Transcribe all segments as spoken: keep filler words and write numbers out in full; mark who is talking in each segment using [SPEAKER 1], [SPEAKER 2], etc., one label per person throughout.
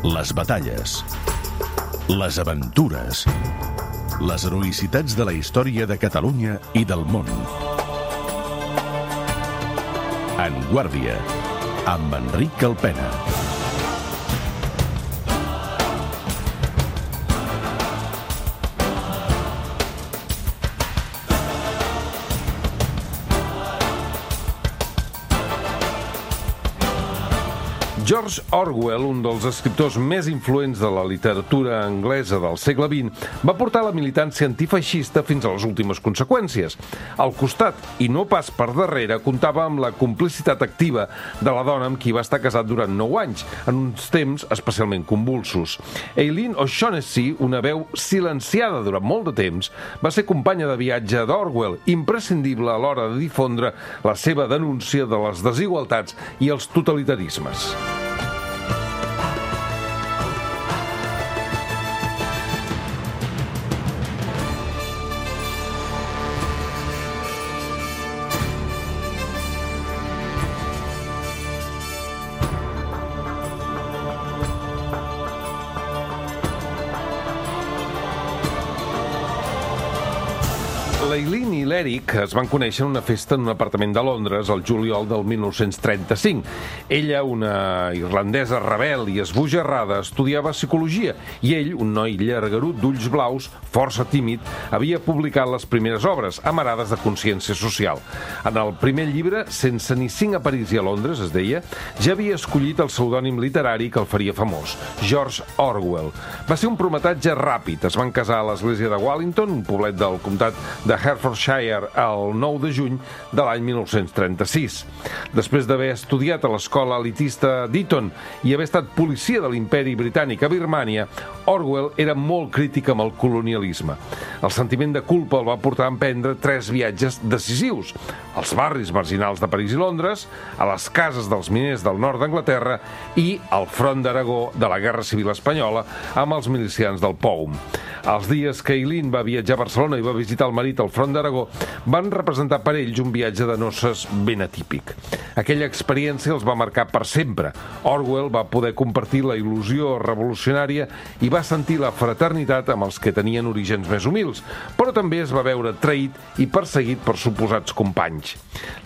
[SPEAKER 1] les batalles, les aventures, les heroïcitats de la història de Catalunya i del món. En Guàrdia, amb Enric Calpena.
[SPEAKER 2] George Orwell, un dels escriptors més influents de la literatura anglesa del segle vint, va portar la militància antifeixista fins a les últimes conseqüències. Al costat, i no pas per darrere, comptava amb la complicitat activa de la dona amb qui va estar casat durant nou anys, en uns temps especialment convulsos. Eileen O'Shaughnessy, una veu silenciada durant molt de temps, va ser companya de viatge d'Orwell, imprescindible a l'hora de difondre la seva denúncia de les desigualtats i els totalitarismes. L'Eileen i l'Eric es van conèixer en una festa en un apartament de Londres el juliol del mil nou-cents trenta-cinc. Ella, una irlandesa rebel i esbojarrada, estudiava psicologia i ell, un noi llargarut d'ulls blaus, força tímid, havia publicat les primeres obres, amarades de consciència social. En el primer llibre, Sense ni cinc a París i a Londres, es deia, ja havia escollit el pseudònim literari que el faria famós, George Orwell. Va ser un prometatge ràpid. Es van casar a l'església de Wallington, un poblet del comtat de Hertfordshire, el nou de juny de l'any mil nou-cents trenta-sis. Després d'haver estudiat a l'escola elitista d'Eton i haver estat policia de l'imperi britànic a Birmània, Orwell era molt crític amb el colonialisme. El sentiment de culpa el va portar a emprendre tres viatges decisius: als barris marginals de París i Londres, a les cases dels miners del nord d'Anglaterra i al front d'Aragó de la Guerra Civil Espanyola amb els milicians del P O U M. Els dies que Eileen va viatjar a Barcelona i va visitar el marit al front d'Aragó van representar per ells un viatge de noces ben atípic. Aquella experiència els va marcar per sempre. Orwell va poder compartir la il·lusió revolucionària i va sentir la fraternitat amb els que tenien orígens més humils, però també es va veure traït i perseguit per suposats companys.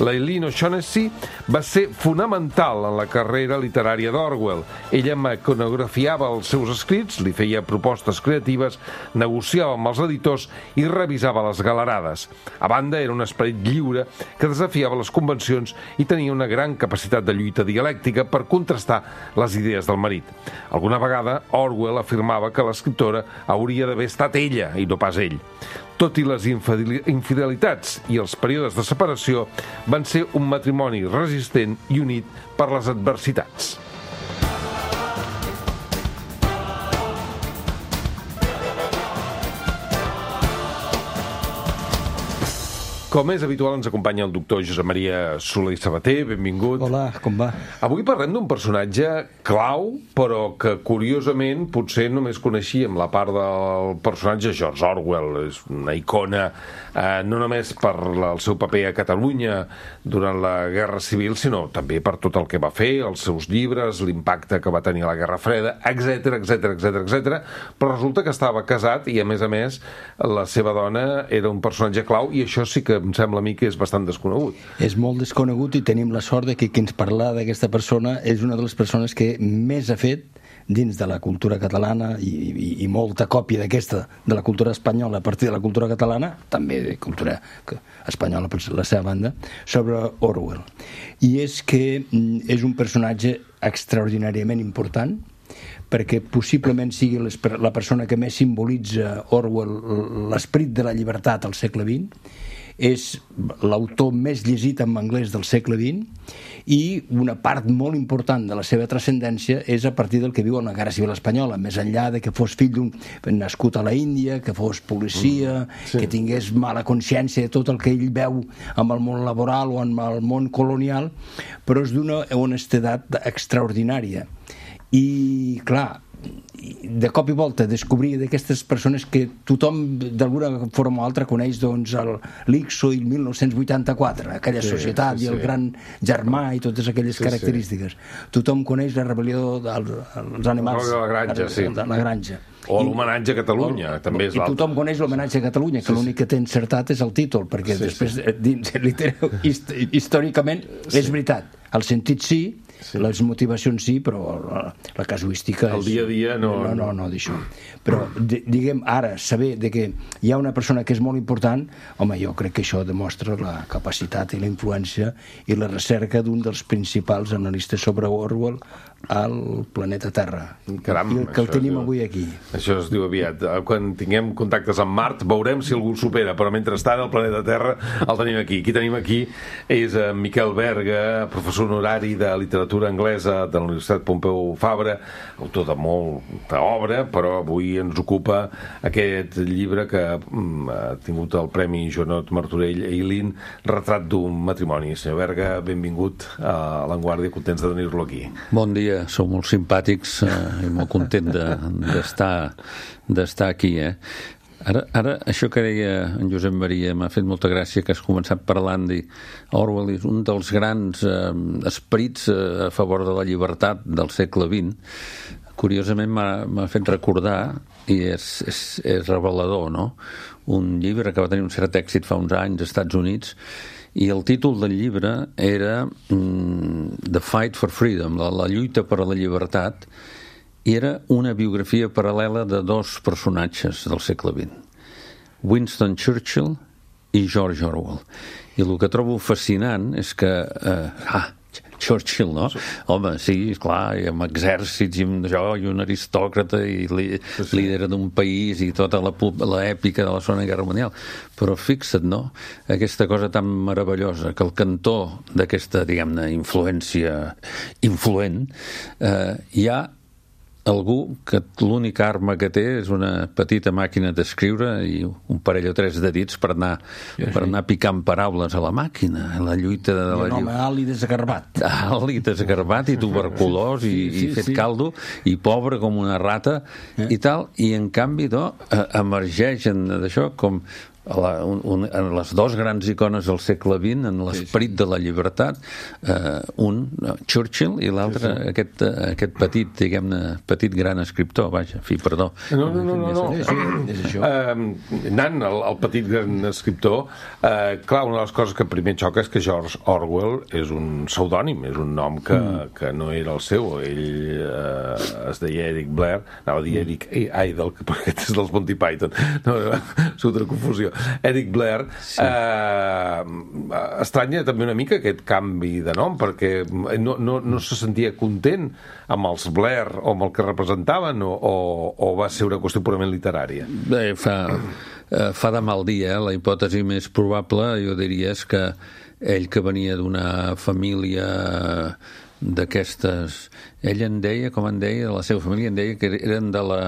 [SPEAKER 2] L'Eileen O'Shaughnessy va ser fonamental en la carrera literària d'Orwell. Ella mecanografiava els seus escrits, li feia propostes creatives, negociava amb els editors i revisava les galerades. A banda, era un esperit lliure que desafiava les convencions i tenia una gran capacitat de lluita dialèctica per contrastar les idees del marit. Alguna vegada, Orwell afirmava que l'escriptora hauria d'haver estat ella i no pas ell. Tot i les infidelitats i els períodes de separació, van ser un matrimoni resistent i unit per les adversitats. Com és habitual, ens acompanya el doctor Josep Maria Soler i Sabater. Benvingut.
[SPEAKER 3] Hola, com va?
[SPEAKER 2] Avui parlem d'un personatge clau, però que, curiosament, potser només coneixíem la part del personatge George Orwell. És una icona, eh, no només per el seu paper a Catalunya durant la Guerra Civil, sinó també per tot el que va fer, els seus llibres, l'impacte que va tenir a la Guerra Freda, etcètera, etcètera, etcètera, etcètera. Però resulta que estava casat i, a més a més, la seva dona era un personatge clau, i això sí que em sembla a mi que és bastant desconegut.
[SPEAKER 3] És molt desconegut i tenim la sort de que qui ens parla d'aquesta persona és una de les persones que més ha fet dins de la cultura catalana i, i, i molta còpia d'aquesta de la cultura espanyola a partir de la cultura catalana, també de cultura espanyola per la seva banda, sobre Orwell. I és que és un personatge extraordinàriament important, perquè possiblement sigui la persona que més simbolitza Orwell l'esperit de la llibertat al segle vint. És l'autor més llegit en anglès del segle vint i una part molt important de la seva transcendència és a partir del que viu en la Guerra Civil Espanyola, més enllà de que fos fill d'un nascut a la Índia, que fos policia, mm, sí. que tingués mala consciència de tot el que ell veu amb el món laboral o amb el món colonial, però és d'una honestedat extraordinària. I, clar, de cop i volta descobrir d'aquestes persones que tothom d'alguna forma o altra coneix, doncs, l'Ixo i el mil nou-cents vuitanta-quatre, aquella sí, societat sí, sí. i el gran germà i totes aquelles sí, característiques. Sí. Tothom coneix la rebel·lió dels animals.
[SPEAKER 2] La granja, sí.
[SPEAKER 3] La granja.
[SPEAKER 2] O l'homenatge a Catalunya, o, també és l'altre.
[SPEAKER 3] I tothom coneix l'homenatge a Catalunya, que sí, l'únic que té encertat és el títol, perquè sí, després, sí. dins, literal, històricament, sí. és veritat. El sentit sí, sí, les motivacions sí, però la, la casuística...
[SPEAKER 2] El dia a dia no...
[SPEAKER 3] No, no, no, d'això. Però, diguem, ara, saber de que hi ha una persona que és molt important, home, jo crec que això demostra la capacitat i la influència i la recerca d'un dels principals analistes sobre Orwell al planeta Terra.
[SPEAKER 2] Caram,
[SPEAKER 3] I que el tenim avui aquí.
[SPEAKER 2] Això es diu aviat. Quan tinguem contactes amb Mart veurem si algú el supera, però mentrestant el planeta Terra el tenim aquí. Qui tenim aquí és en Miquel Berga, professor honorari de literatura anglesa de la Universitat Pompeu Fabra, autor de molta obra, però avui ens ocupa aquest llibre que mm, ha tingut el Premi Joanot Martorell Eileen, Retrat d'un matrimoni. Senyor Berga, benvingut a l'Avantguàrdia, contents de tenir-lo aquí.
[SPEAKER 4] Bon dia. Sou molt simpàtics eh, i molt content d'estar de, d'estar aquí. Eh? Ara, ara, això que deia en Josep Maria m'ha fet molta gràcia, que has començat parlant de Orwell, és un dels grans eh, esperits eh, a favor de la llibertat del segle vint. Curiosament m'ha fet recordar, i és, és, és revelador, no? Un llibre que va tenir un cert èxit fa uns anys als Estats Units, i el títol del llibre era mm, The Fight for Freedom, la, la lluita per a la llibertat, i era una biografia paral·lela de dos personatges del segle vint, Winston Churchill i George Orwell. I el que trobo fascinant és que eh, ah, Churchill, no? Sí. Home, sí, clar, i amb exèrcits i amb això, i un aristòcrata i li, sí, sí. líder d'un país i tota l'èpica de la Segona Guerra Mundial. Però fixa't, no?, aquesta cosa tan meravellosa, que el cantó d'aquesta, diguem-ne, influència influent, eh, hi ha algú que l'única arma que té és una petita màquina d'escriure i un parell o tres de dits per anar, sí, per anar picant paraules a la màquina, a la lluita de la...
[SPEAKER 3] I un home alt i desgarbat.
[SPEAKER 4] Alt i desgarbat i tuberculós i, sí, sí, i fet sí. caldo i pobre com una rata eh? i tal, i en canvi no, emergeixen d'això com a la, un, un, en les dos grans icones del segle vint, en l'esperit sí, sí. de la llibertat, eh, un Churchill i l'altre sí, sí. aquest, aquest petit, diguem-ne, petit gran escriptor, vaja, fi, perdó.
[SPEAKER 2] No, no, no, no, no. Sí, sí, és això. Uh, Nan, el, el petit gran escriptor, uh, clar, una de les coses que primer xoca és que George Orwell és un pseudònim, és un nom que, mm. que no era el seu, ell uh, es deia Eric Blair, anava a dir Eric Idle, perquè aquest és dels Monty Python, no, és una confusió. Eric Blair, sí. eh, estranya també una mica aquest canvi de nom, perquè no, no, no se sentia content amb els Blair o amb el que representaven, o, o, o va ser una qüestió purament literària?
[SPEAKER 4] Bé, fa, eh, fa de mal dia, eh? La hipòtesi més probable, jo diria, és que ell, que venia d'una família d'aquestes... Ell en deia, com en deia, de la seva família, en deia que eren de la,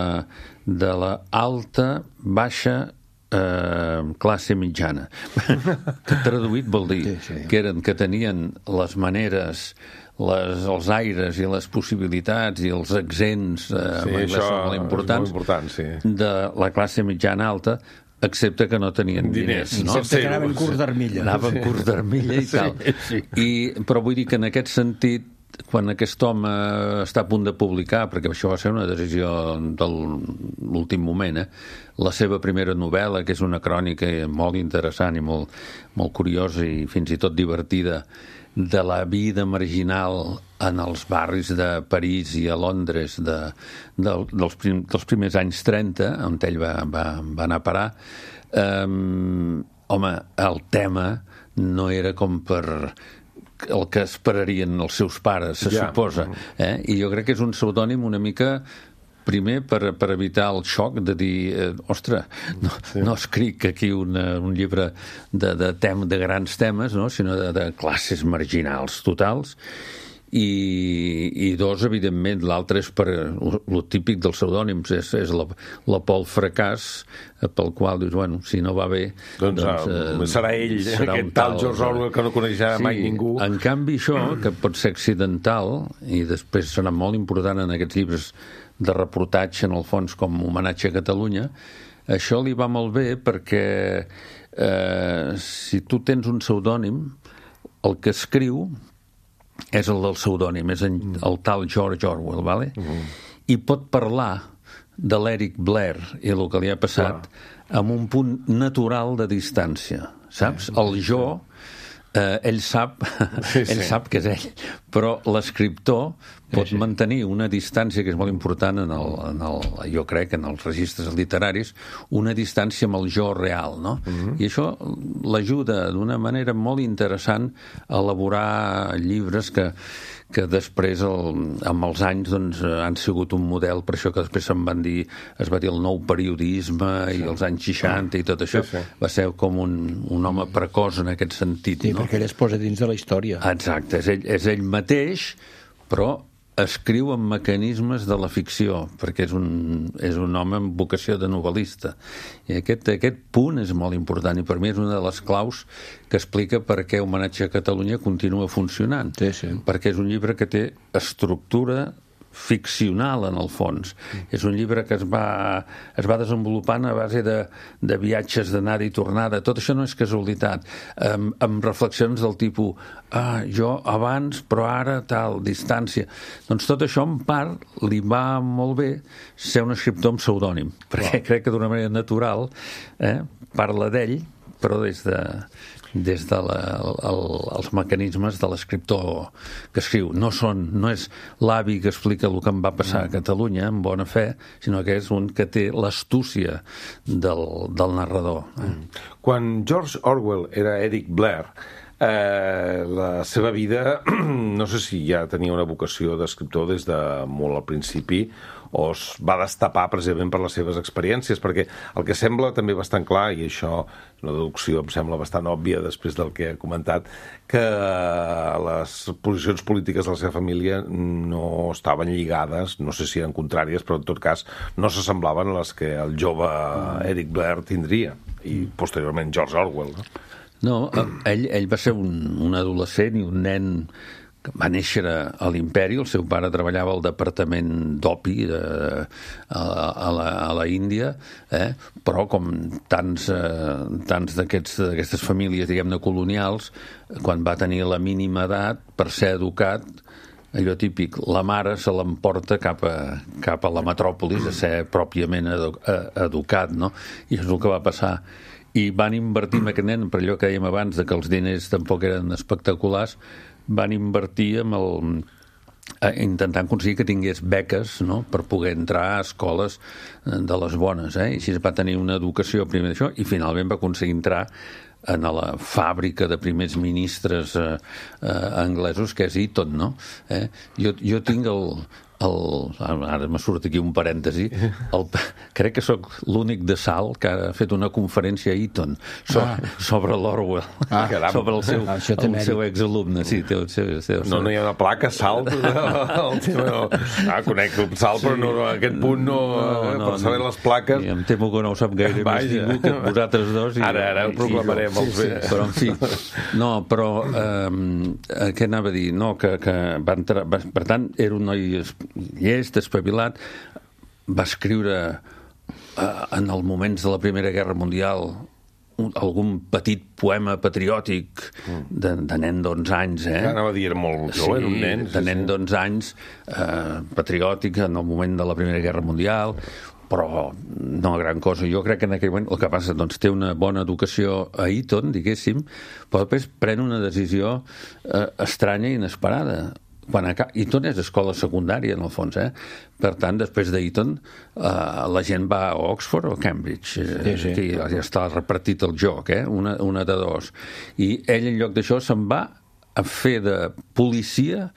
[SPEAKER 4] de la alta, baixa, Uh, classe mitjana. Que traduït vol dir sí, sí. que eren que tenien les maneres, les, els aires i les possibilitats i els accents uh,
[SPEAKER 2] sí, això
[SPEAKER 4] són molt importants,
[SPEAKER 2] molt important, sí.
[SPEAKER 4] de la classe mitjana alta, excepte que no tenien diners, diners
[SPEAKER 3] no? Excepte que anaven curts d'armilla.
[SPEAKER 4] Anaven sí. curts d'armilla i tal. Sí, sí. I, però vull dir que en aquest sentit, quan aquest home està a punt de publicar, perquè això va ser una decisió de l'últim moment, eh? La seva primera novel·la, que és una crònica molt interessant i molt, molt curiosa i fins i tot divertida, de la vida marginal en els barris de París i a Londres de, de, dels, prim, dels primers anys trenta, on ell va, va, va anar a parar, um, home, el tema no era com per... el que esperarien els seus pares, se ja. suposa. Eh? I jo crec que és un pseudònim una mica, primer, per, per evitar el xoc de dir, eh, ostres, no, sí. no escric aquí una, un llibre de, de, tem, de grans temes, no? sinó de, de classes marginals totals. I, i dos, evidentment, l'altre és per el típic dels pseudònims, és, és la, la Pol Fracàs, pel qual dius, bueno, si no va bé
[SPEAKER 2] doncs, doncs eh, serà ell, serà aquest tal George Orwell que no coneixerà sí, mai ningú.
[SPEAKER 4] En canvi això, que pot ser accidental i després serà molt important en aquests llibres de reportatge, en el fons, com homenatge a Catalunya. Això li va molt bé perquè eh, si tu tens un pseudònim, el que escriu és el del pseudònim, és en, el tal George Orwell, ¿vale? Mm. I pot parlar de l'Eric Blair i el que li ha passat Clar. amb un punt natural de distància, saps? El jo, eh, ell sap sí, ell sí. sap que és ell, però l'escriptor pot sí, sí. mantenir una distància que és molt important en el, en el, jo crec, en els registres literaris, una distància amb el jo real, no? Mm-hmm. I això l'ajuda d'una manera molt interessant a elaborar llibres que que després, el, amb els anys, doncs, han sigut un model, per això que després se'n van dir, es va dir el nou periodisme sí. i els anys seixanta i tot això, sí, sí. va ser com un, un home precoç en aquest sentit.
[SPEAKER 3] Sí,
[SPEAKER 4] no?
[SPEAKER 3] perquè ell es posa dins de la història.
[SPEAKER 4] Exacte, és ell, és ell mateix, però escriu amb mecanismes de la ficció, perquè és un, és un home amb vocació de novel·lista. I aquest, aquest punt és molt important, i per mi és una de les claus que explica per què Homenatge a Catalunya continua funcionant.
[SPEAKER 3] Sí, sí.
[SPEAKER 4] Perquè és un llibre que té estructura ficcional, en el fons. Mm. És un llibre que es va, es va desenvolupant a base de, de viatges d'anada i tornada. Tot això no és casualitat. Amb, amb reflexions del tipus ah, jo abans, però ara tal, distància. Doncs tot això, en part, li va molt bé ser un escriptor amb pseudònim, perquè wow. crec que d'una manera natural eh, parla d'ell, però des de des dels de el, els mecanismes de l'escriptor que escriu. No, són, no és l'avi que explica el que em va passar a Catalunya, amb bona fe, sinó que és un que té l'astúcia del, del narrador.
[SPEAKER 2] Mm. Quan George Orwell era Eric Blair, eh, la seva vida, no sé si ja tenia una vocació d'escriptor des de molt al principi, o es va destapar precisament per les seves experiències, perquè el que sembla també bastant clar, i això és una deducció em sembla bastant òbvia després del que he comentat, que les posicions polítiques de la seva família no estaven lligades, no sé si eren contràries, però en tot cas no s'assemblaven a les que el jove Eric Blair tindria, i posteriorment George Orwell. No,
[SPEAKER 4] no ell, ell va ser un, un adolescent i un nen que va néixer a l'Imperi. El seu pare treballava al departament d'opi de, a, a, la, a la Índia, eh? Però com tants, eh, tants d'aquestes famílies, diguem-ne, colonials, quan va tenir la mínima edat, per ser educat, allò típic, la mare se l'emporta cap a, cap a la metròpolis a ser pròpiament edu, educat, no? I això és el que va passar. I van invertir en aquest nen, per allò que dèiem abans, de que els diners tampoc eren espectaculars, van invertir amb el, intentant aconseguir que tingués beques, no?, per poder entrar a escoles de les bones, eh? I així va tenir una educació primer d'això i finalment va aconseguir entrar en la fàbrica de primers ministres eh, eh, anglesos, que és Eton, no? Eh? Jo, jo tinc el... El, ara m'ha sortit aquí un parèntesi, el, crec que sóc l'únic de Salt que ha fet una conferència a Eton so, ah. sobre l'Orwell, ah, sobre el seu, ah, el seu exalumne. Sí, té, té, té,
[SPEAKER 2] no, no hi ha una placa Salt el tema, no. Ah, conec el Salt, sí. Però no, no, aquest punt no, no, no per saber no. Les plaques
[SPEAKER 4] sí, em temo que no ho sap gaire més ningú que vosaltres dos i,
[SPEAKER 2] ara, ara ho proclamarem sí, sí, sí.
[SPEAKER 4] Però en fi no, però eh, què anava a dir no, que, que va entrar, va, per tant era un noi llest, espavilat, va escriure eh, en els moments de la Primera Guerra Mundial un, algun petit poema patriòtic de, de nen d'onze anys, eh?
[SPEAKER 2] Anava a dir, era molt jove, sí, era un nen.
[SPEAKER 4] De nen sí. d'onze anys, eh, patriòtic en el moment de la Primera Guerra Mundial, però no gran cosa. Jo crec que en aquell moment el que passa, doncs té una bona educació a Eton, diguéssim, però després pren una decisió eh, estranya i inesperada. Quan a Eton és escola secundària, en el fons, eh? Per tant, després d'Eton, eh, la gent va a Oxford o Cambridge. Eh, sí, sí. Ja està repartit el joc, eh? Una, una de dos. I ell, en lloc d'això, se'n va a fer de policia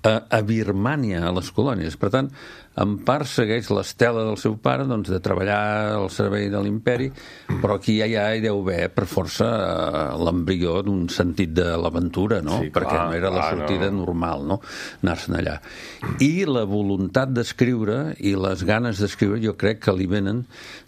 [SPEAKER 4] a, a Birmània, a les colònies. Per tant, en part segueix l'estela del seu pare, doncs, de treballar al servei de l'imperi, però aquí ja, ja hi deu haver, per força, l'embrió d'un sentit de l'aventura, no? Sí, perquè clar, no era la sortida no. normal, no?, anar-se'n allà. I la voluntat d'escriure i les ganes d'escriure jo crec que li venen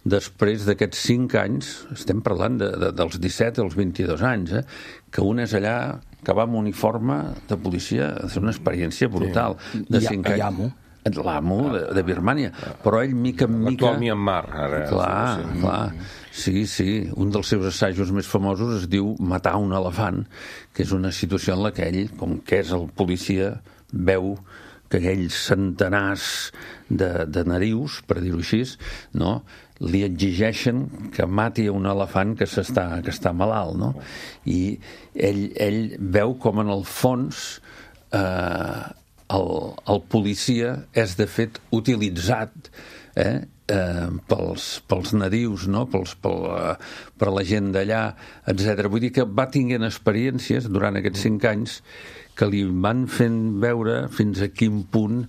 [SPEAKER 4] després d'aquests cinc anys, estem parlant de, de, dels disset als vint-i-dos anys, eh? Que un és allà que va amb uniforme de policia, és una experiència brutal.
[SPEAKER 3] Sí. De cinc anys.
[SPEAKER 4] l'amo de, de Birmània, però ell mica en mica...
[SPEAKER 2] L'actual Myanmar, ara.
[SPEAKER 4] Clar, sí, clar. Sí, sí, un dels seus assajos més famosos es diu Matar un elefant, que és una situació en la que ell, com que és el policia, veu que aquells centenars de, de narius, per dir-ho així, no?, li exigeixen que mati un elefant que s'està que està malalt, no? I ell, ell veu com en el fons eh, el, el policia és de fet utilitzat eh, eh, pels, pels nadius, no? pels, pel, eh, per la gent d'allà, etcètera. Vull dir que va tinguent experiències durant aquests cinc anys que li van fent veure fins a quin punt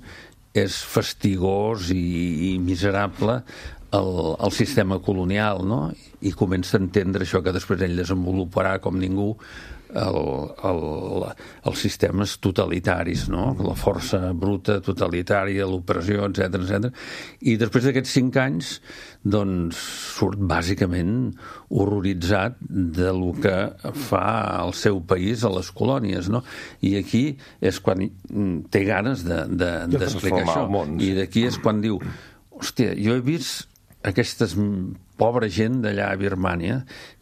[SPEAKER 4] és fastigós i, i miserable el, el sistema colonial, no? I comença a entendre això que després ell desenvoluparà com ningú, el, el, els sistemes totalitaris, no? La força bruta, totalitària, l'opressió, etcètera, etcètera. I després d'aquests cinc anys, doncs, surt bàsicament horroritzat de lo que fa el seu país a les colònies, no? I aquí és quan té ganes de, de, d'explicar això. I d'aquí és quan diu, hòstia, jo he vist aquestes pobra gent d'allà a Birmània,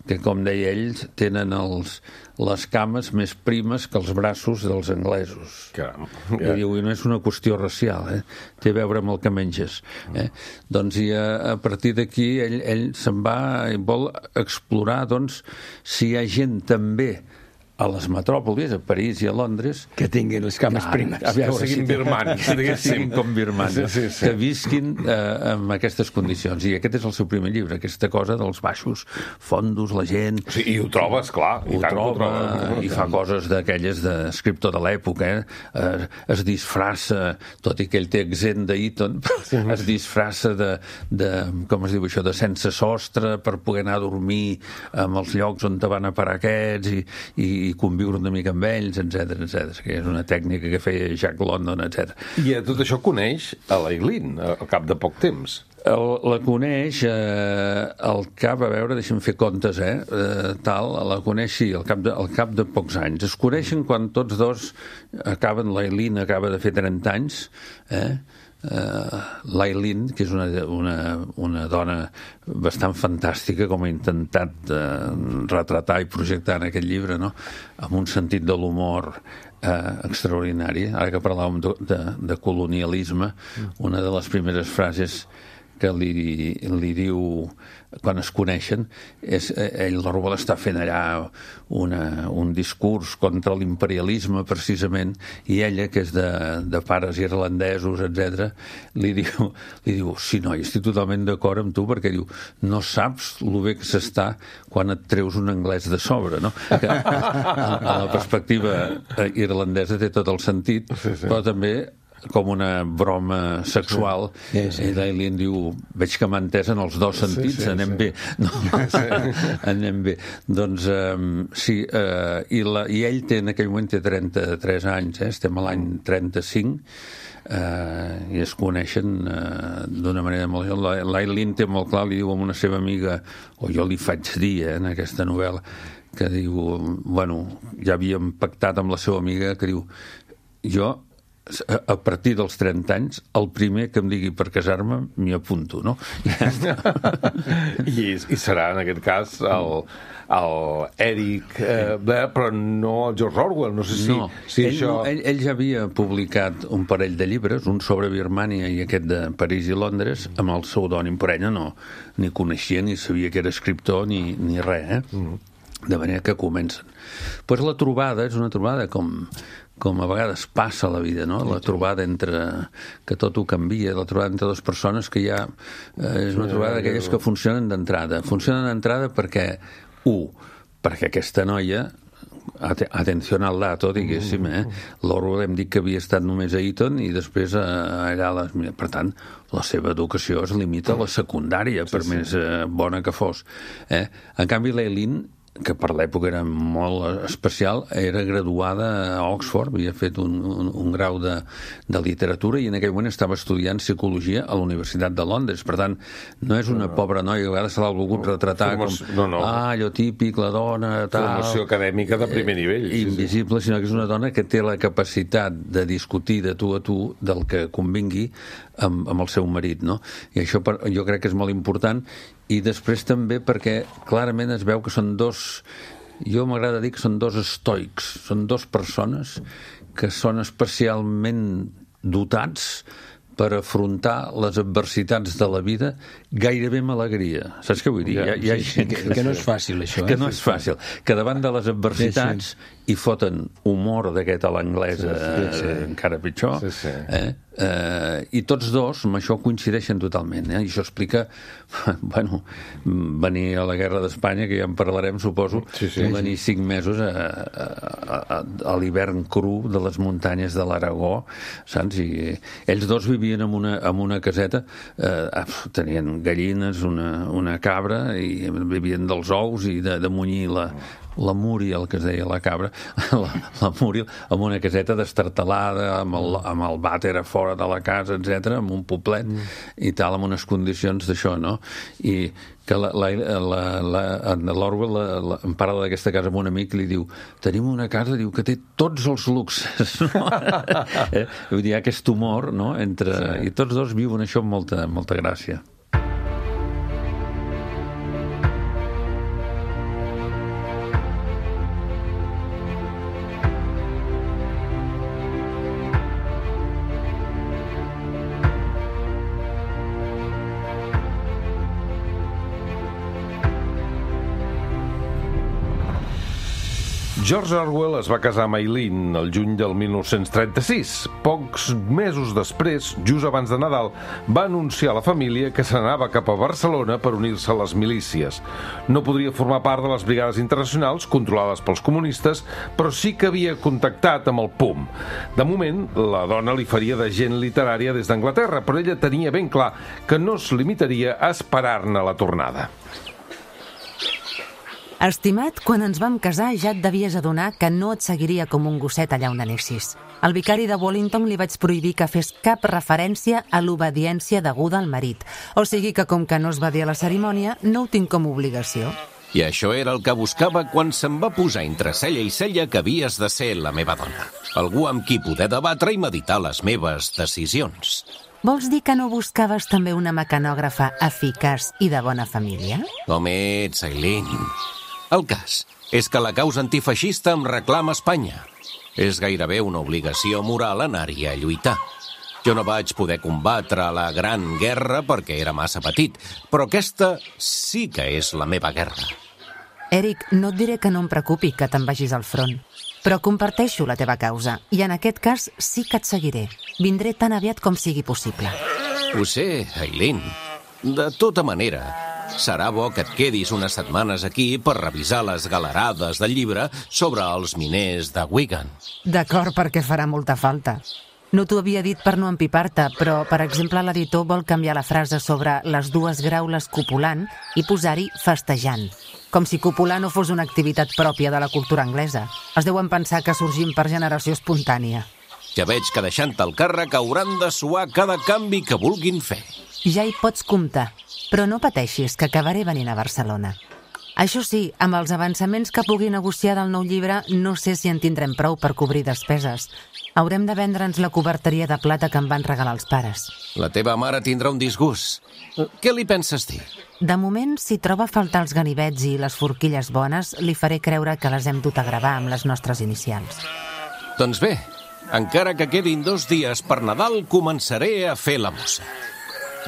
[SPEAKER 4] que, com deia ell, tenen els, les cames més primes que els braços dels anglesos.
[SPEAKER 2] Caram.
[SPEAKER 4] I diu, i no és una qüestió racial, eh? Té a veure amb el que menges. Eh? Doncs i a, a partir d'aquí ell, ell se'n va i vol explorar, doncs, si hi ha gent també a les metròpolis, a París i a Londres,
[SPEAKER 3] que tinguin les cames
[SPEAKER 4] ah,
[SPEAKER 3] primes,
[SPEAKER 4] a veure,
[SPEAKER 2] que siguin
[SPEAKER 4] si
[SPEAKER 2] birmanis,
[SPEAKER 4] que siguin com birmanis,
[SPEAKER 2] sí, sí, sí.
[SPEAKER 4] que visquin eh, en aquestes condicions. I aquest és el seu primer llibre, aquesta cosa dels baixos fondos, la gent...
[SPEAKER 2] Sí, i ho trobes, clar.
[SPEAKER 4] Ho troba, i fa coses d'aquelles d'escriptor de l'època, eh? Es disfressa, tot i que ell té accent d'Eton, es disfressa de, de, com es diu això, de sense sostre per poder anar a dormir en els llocs on te van a parar aquests i, i i conviure una mica amb ells, etcètera, etcètera, que és una tècnica que feia Jack London, etcètera.
[SPEAKER 2] I a tot això coneix a l'Aileen, al cap de poc temps.
[SPEAKER 4] El, la coneix eh, al cap, a veure, deixa'm fer comptes, eh, eh, tal, la coneix, sí, al cap, de, al cap de pocs anys. Es coneixen quan tots dos acaben, l'Aileen acaba de fer trenta anys, eh, Uh, l'Aileen, que és una, una, una dona bastant fantàstica, com ha intentat uh, retratar i projectar en aquest llibre, no? Amb un sentit de l'humor uh, extraordinari. Ara que parlàvem de, de, de colonialisme, una de les primeres frases que li, li diu quan es coneixen és, ell, la Rubel, està fent allà una, un discurs contra l'imperialisme precisament, i ella, que és de, de pares irlandesos, etcètera, li diu, li diu, sí, noi, estic totalment d'acord amb tu, perquè diu, no saps lo bé que s'està quan et treus un anglès de sobre, no? Que a, a la perspectiva irlandesa té tot el sentit, sí, sí. Però també com una broma sexual, sí, sí. I l'Aileen diu, veig que m'ha entès en els dos sentits, sí, sí, anem sí. bé. No? Sí. Anem bé. Doncs um, sí, uh, i, la, i ell té, en aquell moment té trenta-tres anys, eh? Estem a l'any trenta-cinc, uh, i es coneixen uh, d'una manera molt... L'Aileen té molt clar, li diu a una seva amiga, o jo li faig dir, eh, en aquesta novel·la, que diu, bueno, ja havíem pactat amb la seva amiga, que diu, jo a partir dels trenta anys, el primer que em digui per casar-me, m'hi apunto, no?
[SPEAKER 2] I, I serà, en aquest cas, el, el Eric, eh, però no el George Orwell, no sé si...
[SPEAKER 4] No,
[SPEAKER 2] si
[SPEAKER 4] ell,
[SPEAKER 2] això...
[SPEAKER 4] ell, ell ja havia publicat un parell de llibres, un sobre Birmània i aquest de París i Londres, amb el pseudònim, però ella no ni coneixia ni sabia que era escriptor ni, ni res, eh? Mm. De manera que comencen. Pues la trobada és una trobada com... com a vegades passa a la vida, no? La trobada entre... que tot ho canvia, la trobada entre dues persones que ja... Eh, és una trobada d'aquelles que funcionen d'entrada. Funcionen d'entrada perquè, u, perquè aquesta noia, atenció al dato, diguéssim, eh? L'Orwell hem dit que havia estat només a Eton i després a, allà... A les, per tant, la seva educació es limita a la secundària, per sí, sí. més eh, bona que fos. Eh? En canvi, l'Aileen que per l'època era molt especial, era graduada a Oxford, havia fet un, un, un grau de, de literatura i en aquell moment estava estudiant psicologia a la Universitat de Londres. Per tant, no és una no. pobra noia, que a vegades se l'ha volgut retratar Formació, com, no, no. ah, allò típic, la dona, tal...
[SPEAKER 2] Formació acadèmica de primer nivell.
[SPEAKER 4] Eh, invisible, sí, sí. Sinó que és una dona que té la capacitat de discutir de tu a tu del que convingui amb, amb el seu marit, no? I això per, jo crec que és molt important. I després també perquè clarament es veu que són dos, jo m'agrada dir que són dos estoics, són dos persones que són especialment dotats per afrontar les adversitats de la vida gairebé amb alegria. Saps què vull dir?
[SPEAKER 3] Ja, hi ha, hi ha sí, gent que, que no és fàcil, això.
[SPEAKER 4] Que
[SPEAKER 3] eh?
[SPEAKER 4] no és fàcil. Que davant de les adversitats sí, sí. hi foten humor d'aquest a l'anglesa, sí, sí, sí. encara pitjor. Sí, sí. Eh? Eh, I tots dos amb això coincideixen totalment. Eh? I això explica, bueno, venir a la guerra d'Espanya, que ja en parlarem, suposo, sí, sí, venir sí. cinc mesos a, a, a, a l'hivern cru de les muntanyes de l'Aragó, saps? I ells dos vivien en una, en una caseta, eh, tenien gallines, una, una cabra, i vivien dels ous i de, de munyir la, la Múria, el que es deia la cabra, la, la Múria, amb una caseta destartalada, amb el, amb el vàter a fora de la casa, etcètera, amb un poblet mm. i tal, amb unes condicions d'això, no? I que la, la, la, la, l'Orwell la, la, em parla d'aquesta casa amb un amic i li diu, tenim una casa, diu, que té tots els luxes, no? eh? Vull dir, hi ha aquest humor, no? Entre, sí. I tots dos viuen això amb molta, molta gràcia.
[SPEAKER 2] George Orwell es va casar amb Eileen el juny del mil nou-cents trenta-sis. Pocs mesos després, just abans de Nadal, va anunciar a la família que s'anava cap a Barcelona per unir-se a les milícies. No podria formar part de les brigades internacionals controlades pels comunistes, però sí que havia contactat amb el P U M. De moment, la dona li faria d'agent literària des d'Anglaterra, però ella tenia ben clar que no es limitaria a esperar-ne la tornada.
[SPEAKER 5] Estimat, quan ens vam casar ja et devies adonar que no et seguiria com un gosset allà on anessis. Al vicari de Wallington li vaig prohibir que fes cap referència a l'obediència deguda al marit. O sigui que com que no es va dir a la cerimònia, no ho tinc com a obligació.
[SPEAKER 6] I això era el que buscava quan se'm va posar entre cella i cella que havies de ser la meva dona. Algú amb qui poder debatre i meditar les meves decisions.
[SPEAKER 5] Vols dir que no buscaves també una mecanògrafa eficaç i de bona família?
[SPEAKER 6] Com ets, Eileen? El cas és que la causa antifeixista em reclama Espanya. És gairebé una obligació moral anar-hi a lluitar. Jo no vaig poder combatre la Gran Guerra perquè era massa petit, però aquesta sí que és la meva guerra.
[SPEAKER 5] Eric, no et diré que no em preocupi que te'n vagis al front, però comparteixo la teva causa i en aquest cas sí que et seguiré. Vindré tan aviat com sigui possible.
[SPEAKER 6] Ho sé, Eileen. De tota manera, serà bo que et quedis unes setmanes aquí per revisar les galerades del llibre sobre els miners de Wigan.
[SPEAKER 5] D'acord, perquè farà molta falta. No t'ho havia dit per no empipar-te, però, per exemple, l'editor vol canviar la frase sobre les dues graules copulant i posar-hi festejant. Com si copular no fos una activitat pròpia de la cultura anglesa. Es deuen pensar que sorgim per generació espontània.
[SPEAKER 6] Ja veig que deixant el càrrec hauran de suar cada canvi que vulguin fer.
[SPEAKER 5] Ja hi pots comptar, però no pateixis, que acabaré venint a Barcelona. Això sí, amb els avançaments que pugui negociar del nou llibre, no sé si en tindrem prou per cobrir despeses. Haurem de vendre'ns la coberteria de plata que em van regalar els pares.
[SPEAKER 6] La teva mare tindrà un disgust. Què li penses dir?
[SPEAKER 5] De moment, si troba a faltar els ganivets i les forquilles bones, li faré creure que les hem dut a gravar amb les nostres inicials.
[SPEAKER 6] Doncs bé, encara que quedin dos dies per Nadal, començaré a fer la mossa.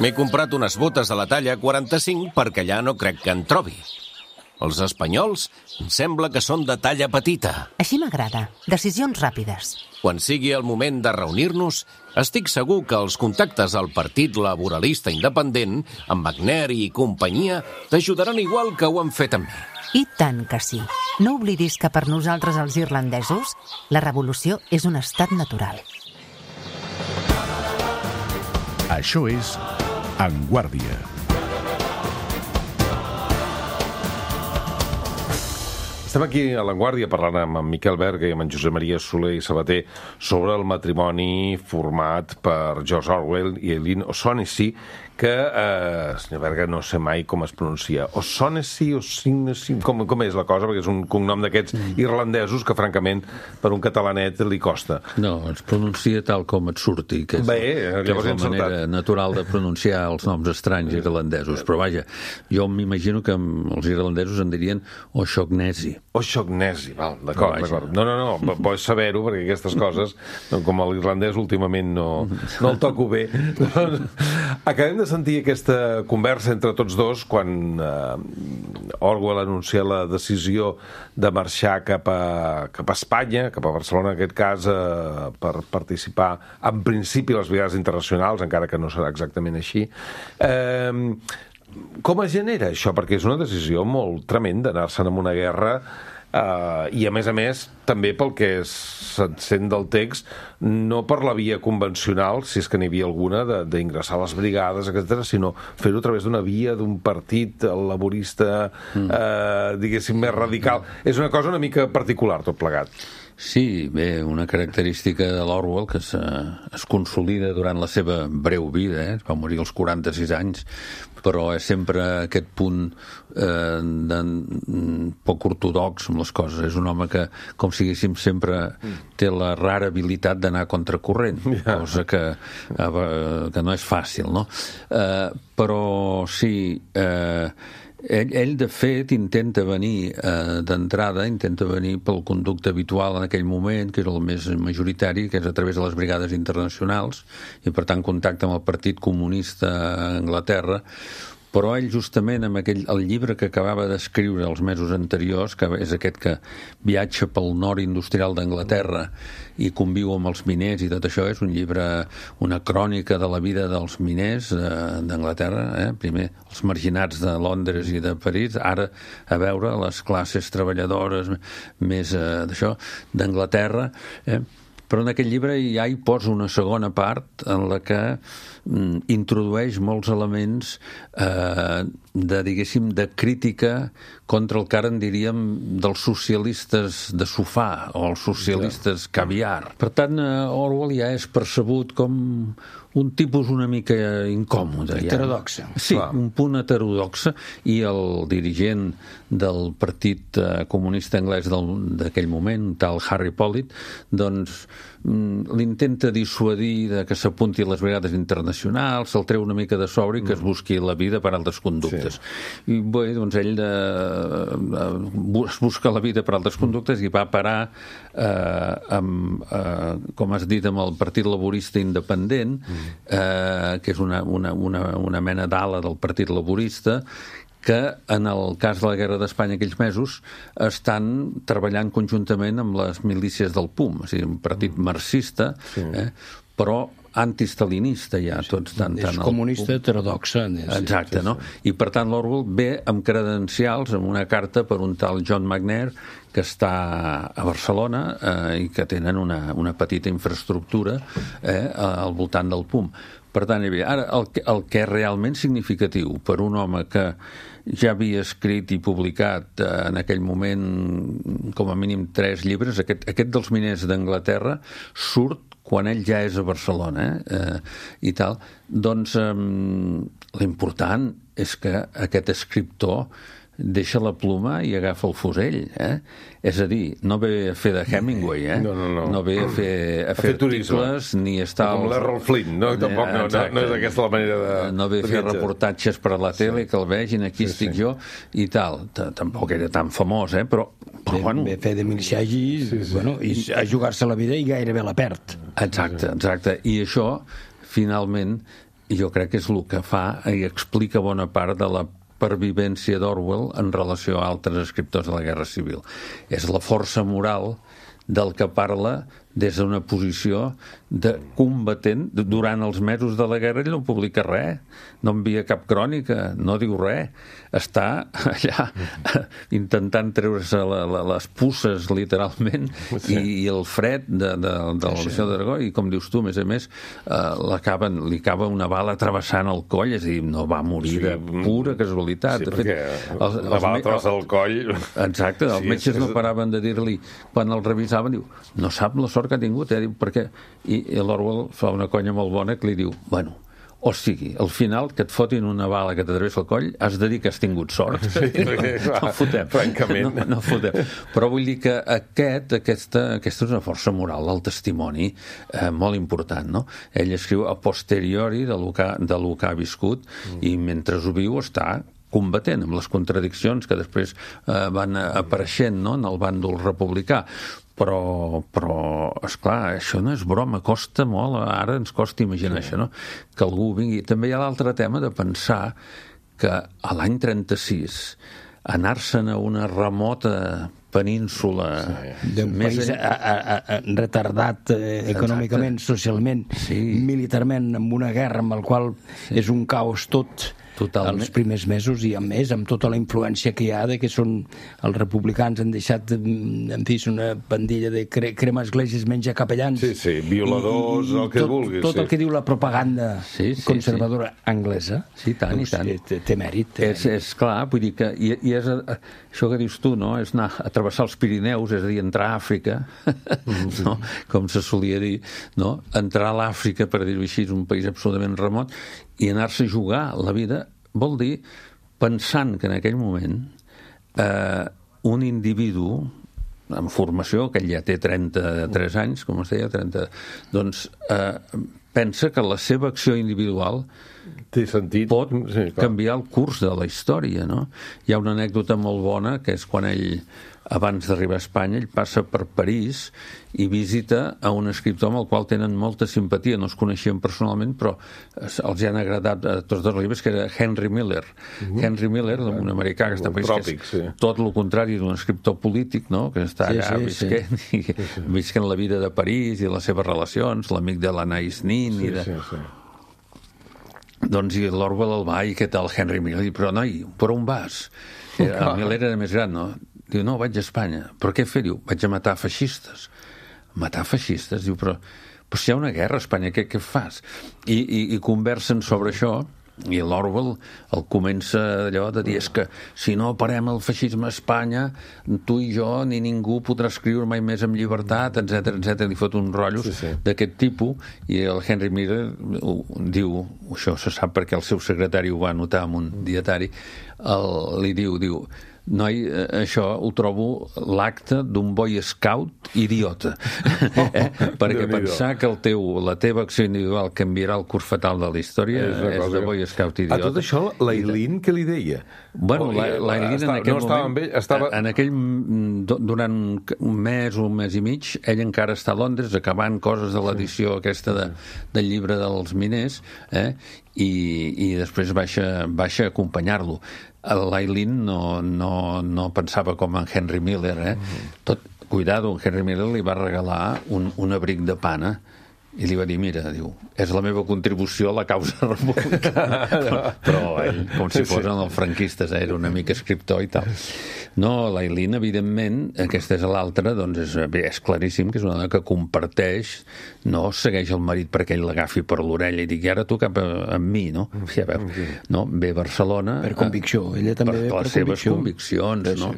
[SPEAKER 6] M'he comprat unes botes de la talla quaranta-cinc perquè allà no crec que en trobi. Els espanyols em sembla que són de talla petita.
[SPEAKER 5] Així m'agrada. Decisions ràpides.
[SPEAKER 6] Quan sigui el moment de reunir-nos, estic segur que els contactes al Partit Laboralista Independent, amb Wagner i companyia, t'ajudaran igual que ho han fet amb mi.
[SPEAKER 5] I tant que sí. No oblidis que per nosaltres els irlandesos, la revolució és un estat natural.
[SPEAKER 1] Això és En Guàrdia.
[SPEAKER 2] Estem aquí a La Guàrdia parlant amb en Miquel Berga i amb en Josep Maria Soler i Sabater sobre el matrimoni format per George Orwell i Eileen O'Shaughnessy, que, eh, senyor Berga, no sé mai com es pronuncia. O'Shaughnessy, O'Shaughnessy, com, com és la cosa? Perquè és un cognom d'aquests irlandesos que, francament, per un catalanet li costa.
[SPEAKER 4] No, es pronuncia tal com et surti, que és,
[SPEAKER 2] Bé,
[SPEAKER 4] que és la manera natural de pronunciar els noms estranys irlandesos. Però vaja, jo m'imagino que els irlandesos en dirien O'Shaughnessy.
[SPEAKER 2] O'Shaughnessy, val, d'acord, d'acord. No, no, no, bo és saber-ho, perquè aquestes coses, com l'irlandès últimament no, no el toco bé. Acabem de sentir aquesta conversa entre tots dos quan eh, Orwell anuncia la decisió de marxar cap a, cap a Espanya, cap a Barcelona, en aquest cas, eh, per participar, en principi, a les brigades internacionals, encara que no serà exactament així. Eh, com es genera això? Perquè és una decisió molt tremenda anar-se'n en una guerra. Uh, i a més a més també pel que se'n sent del text, no per la via convencional, si és que n'hi havia alguna, d'ingressar a les brigades, etcètera, sinó fer-ho a través d'una via d'un partit laborista mm. uh, diguéssim més radical. És una cosa una mica particular tot plegat.
[SPEAKER 4] Sí, bé, una característica de l'Orwell que es, es consolida durant la seva breu vida, eh? Va morir als quaranta-sis anys, però és sempre aquest punt eh, de, poc ortodox amb les coses. És un home que, com si diguéssim, sempre té la rara habilitat d'anar contracorrent, cosa que, eh, que no és fàcil, no? Eh, però sí... Eh, Ell, ell, de fet, intenta venir eh, d'entrada, intenta venir pel conducte habitual en aquell moment, que era el més majoritari, que és a través de les brigades internacionals, i per tant contacta amb el Partit Comunista a Anglaterra, però ell justament amb aquell, el llibre que acabava d'escriure els mesos anteriors, que és aquest que viatja pel nord industrial d'Anglaterra i conviu amb els miners i tot això, és un llibre, una crònica de la vida dels miners eh, d'Anglaterra, eh? Primer els marginats de Londres i de París, ara a veure les classes treballadores més eh, d'això, d'Anglaterra, eh? Però en aquell llibre ja hi posa una segona part en la que mm, introdueix molts elements eh, de, diguéssim, de crítica contra el que ara en diríem dels socialistes de sofà o els socialistes caviar. Per tant, Orwell ja és percebut com un tipus una mica incòmode.
[SPEAKER 3] Heterodoxa.
[SPEAKER 4] Ja. Sí, clar. Un punt heterodoxa, i el dirigent del Partit Comunista Anglès d'aquell moment, tal Harry Pollitt, doncs l'intenta dissuadir de que s'apunti a les brigades internacionals, se'l treu una mica de sobre i que es busqui la vida per altres conductes. Sí. I bé, doncs ell de, de, es busca la vida per altres conductes i va parar eh, amb, eh, com has dit, amb el Partit Laborista Independent, eh, que és una, una, una, una mena d'ala del Partit Laborista, que en el cas de la Guerra d'Espanya aquells mesos estan treballant conjuntament amb les milícies del P U M, o sigui, un partit marxista, sí. eh, però antistalinista ja, tots tant,
[SPEAKER 3] és
[SPEAKER 4] tant
[SPEAKER 3] comunista heterodoxa.
[SPEAKER 4] Exacte, no? I per tant l'Orwell ve amb credencials, amb una carta per un tal John McNair que està a Barcelona eh, i que tenen una, una petita infraestructura eh, al voltant del P U M. Per tant, ara el que, el que és realment significatiu per un home que ja havia escrit i publicat eh, en aquell moment com a mínim tres llibres, aquest, aquest dels miners d'Anglaterra surt quan ell ja és a Barcelona eh, eh, i tal, doncs eh, l'important és que aquest escriptor deixa la pluma i agafa el fusell, eh? És a dir, no ve a fer de Hemingway, eh?
[SPEAKER 2] No, no, no.
[SPEAKER 4] No ve a fer, a, a fer, fer articles, ni estar...
[SPEAKER 2] Com l'Errol Flynn, no? Tampoc no, no, no és aquesta la manera de...
[SPEAKER 4] No ve a fer reportatges per a la tele, sí. Que el vegin, aquí sí, estic sí. jo, i tal. Tampoc era tan famós, eh? Però, però bueno...
[SPEAKER 3] Ve a fer de miliciagi, sí, sí. Bueno, i a jugar-se la vida i gairebé la perd.
[SPEAKER 4] Exacte, exacte. I això, finalment, jo crec que és el que fa i explica bona part de la pervivència d'Orwell en relació a altres escriptors de la Guerra Civil. És la força moral del que parla des d'una posició de combatent. Durant els mesos de la guerra ell no publica res, no envia cap crònica, no diu res. Està allà intentant treure-se la, la, les pusses, literalment, sí. i, i el fred de, de, de la Legió d'Aragó, i com dius tu, a més a més, eh, li acaba una bala travessant el coll, és a dir, no va morir sí. de pura casualitat.
[SPEAKER 2] Sí, perquè els, la bala travessa el coll...
[SPEAKER 4] Exacte, els sí, metges és... no paraven de dir-li, quan el revisaven, diu, no sap la sort que ha tingut, eh? Diu, perquè... I, i l'Orwell fa una conya molt bona que li diu, bueno, o sigui, al final que et fotin una bala que t'atravessa el coll, has de dir que has tingut sort. Sí, no, no fotem.
[SPEAKER 2] Francament.
[SPEAKER 4] No, no fotem. Però vull dir que aquest, aquesta, aquesta és una força moral, el testimoni, eh, molt important, no? Ell escriu a posteriori de lo que, de lo que ha viscut, mm. i mentre ho viu està combatent amb les contradiccions que després eh, van apareixent, no?, en el bàndol republicà. Però, però, esclar, això no és broma, costa molt, ara ens costa imaginar sí. això, no?, que algú vingui. També hi ha l'altre tema de pensar que a l'any trenta-sis anar-se'n a una remota península
[SPEAKER 3] sí. d'un país a, a, a, retardat eh, econòmicament, socialment, sí. militarment, amb una guerra amb el qual sí. és un caos tot. Totalment. Els primers mesos, i a més amb tota la influència que hi ha de que són els republicans han deixat, en fi, una pandilla de cre crema esglésies, menja capellans,
[SPEAKER 2] sí, sí, violadors, i, i, el que
[SPEAKER 3] tot,
[SPEAKER 2] vulguis
[SPEAKER 3] tot
[SPEAKER 2] sí.
[SPEAKER 3] el que diu la propaganda sí, sí, conservadora sí. anglesa,
[SPEAKER 4] sí, tant, doncs, i tant.
[SPEAKER 3] Té, té mèrit, té
[SPEAKER 4] és, és clar, vull dir que i, i és, això que dius tu, no?, és anar a travessar els Pirineus, és a dir, entrar a Àfrica, mm-hmm. no?, com se solia dir, no?, entrar a l'Àfrica, per dir-ho així, és un país absolutament remot, i anar-se a jugar la vida vol dir, pensant que en aquell moment eh, un individu en formació, que ell ja té trenta-tres anys, com es deia, trenta, doncs eh, pensa que la seva acció individual
[SPEAKER 2] té sentit.
[SPEAKER 4] Pot
[SPEAKER 2] sí,
[SPEAKER 4] canviar el curs de la història, no? Hi ha una anècdota molt bona, que és quan ell, abans d'arribar a Espanya, ell passa per París i visita a un escriptor amb el qual tenen molta simpatia, no es coneixien personalment, però els han agradat a tots dos llibres, que era Henry Miller. Uh-huh. Henry Miller, un americà que està a París, tròpic, que és sí. tot el contrari d'un escriptor polític, no?, que està sí, allà sí, visquent, sí. i sí, sí. visquent la vida de París i les seves relacions, l'amic de l'Anais Nin sí, i de... Sí, sí. Doncs i l'Orwell el va, i què tal Henry Miller? Diu, però noi, per on vas? El Miller era més gran, no? Diu, no, vaig a Espanya. Però què fer? Diu, vaig a matar feixistes. Matar feixistes? Diu, però, però si hi ha una guerra a Espanya, què, què fas? I, i, i conversen sobre això, i l'Orwell el comença allò de dir, és que si no parem el feixisme a Espanya, tu i jo ni ningú podrà escriure mai més amb llibertat, etcètera, etcètera. Li fot uns rotllos sí, sí. d'aquest tipus, i el Henry Miller diu, això se sap perquè el seu secretari ho va anotar en un dietari, el, li diu, diu, noi, això ho trobo l'acte d'un boy scout idiota. eh? Perquè pensar que el teu, la teva acció individual canviarà el curs fatal de la història és, és de boy scout idiota.
[SPEAKER 2] A tot això, l'Aileen què li deia?
[SPEAKER 4] Bueno, l'Aileen en aquell
[SPEAKER 2] no
[SPEAKER 4] moment,
[SPEAKER 2] ell, estava...
[SPEAKER 4] en aquell, durant un mes o un mes i mig, ell encara està a Londres acabant coses de l'edició aquesta de, del llibre dels miners, eh? I, i després baixa, baixa a acompanyar-lo. L'Aileen no, no, no pensava com en Henry Miller, eh? Tot, cuidado, Henry Miller li va regalar un, un abric de pana i li va dir, mira, diu, és la meva contribució a la causa republicana. però, però ell, com si fos en els franquistes, eh? Era un amic escriptor i tal. No, l'Aileen, evidentment, aquesta és l'altra, doncs és, bé, és claríssim que és una dona que comparteix, no segueix el marit perquè ell l'agafi per l'orella i digui, ara tu cap a, amb mi, no? Ja veu, no? Ve a Barcelona...
[SPEAKER 3] Per convicció, ella també
[SPEAKER 4] per,
[SPEAKER 3] ve per
[SPEAKER 4] les seves conviccions, no?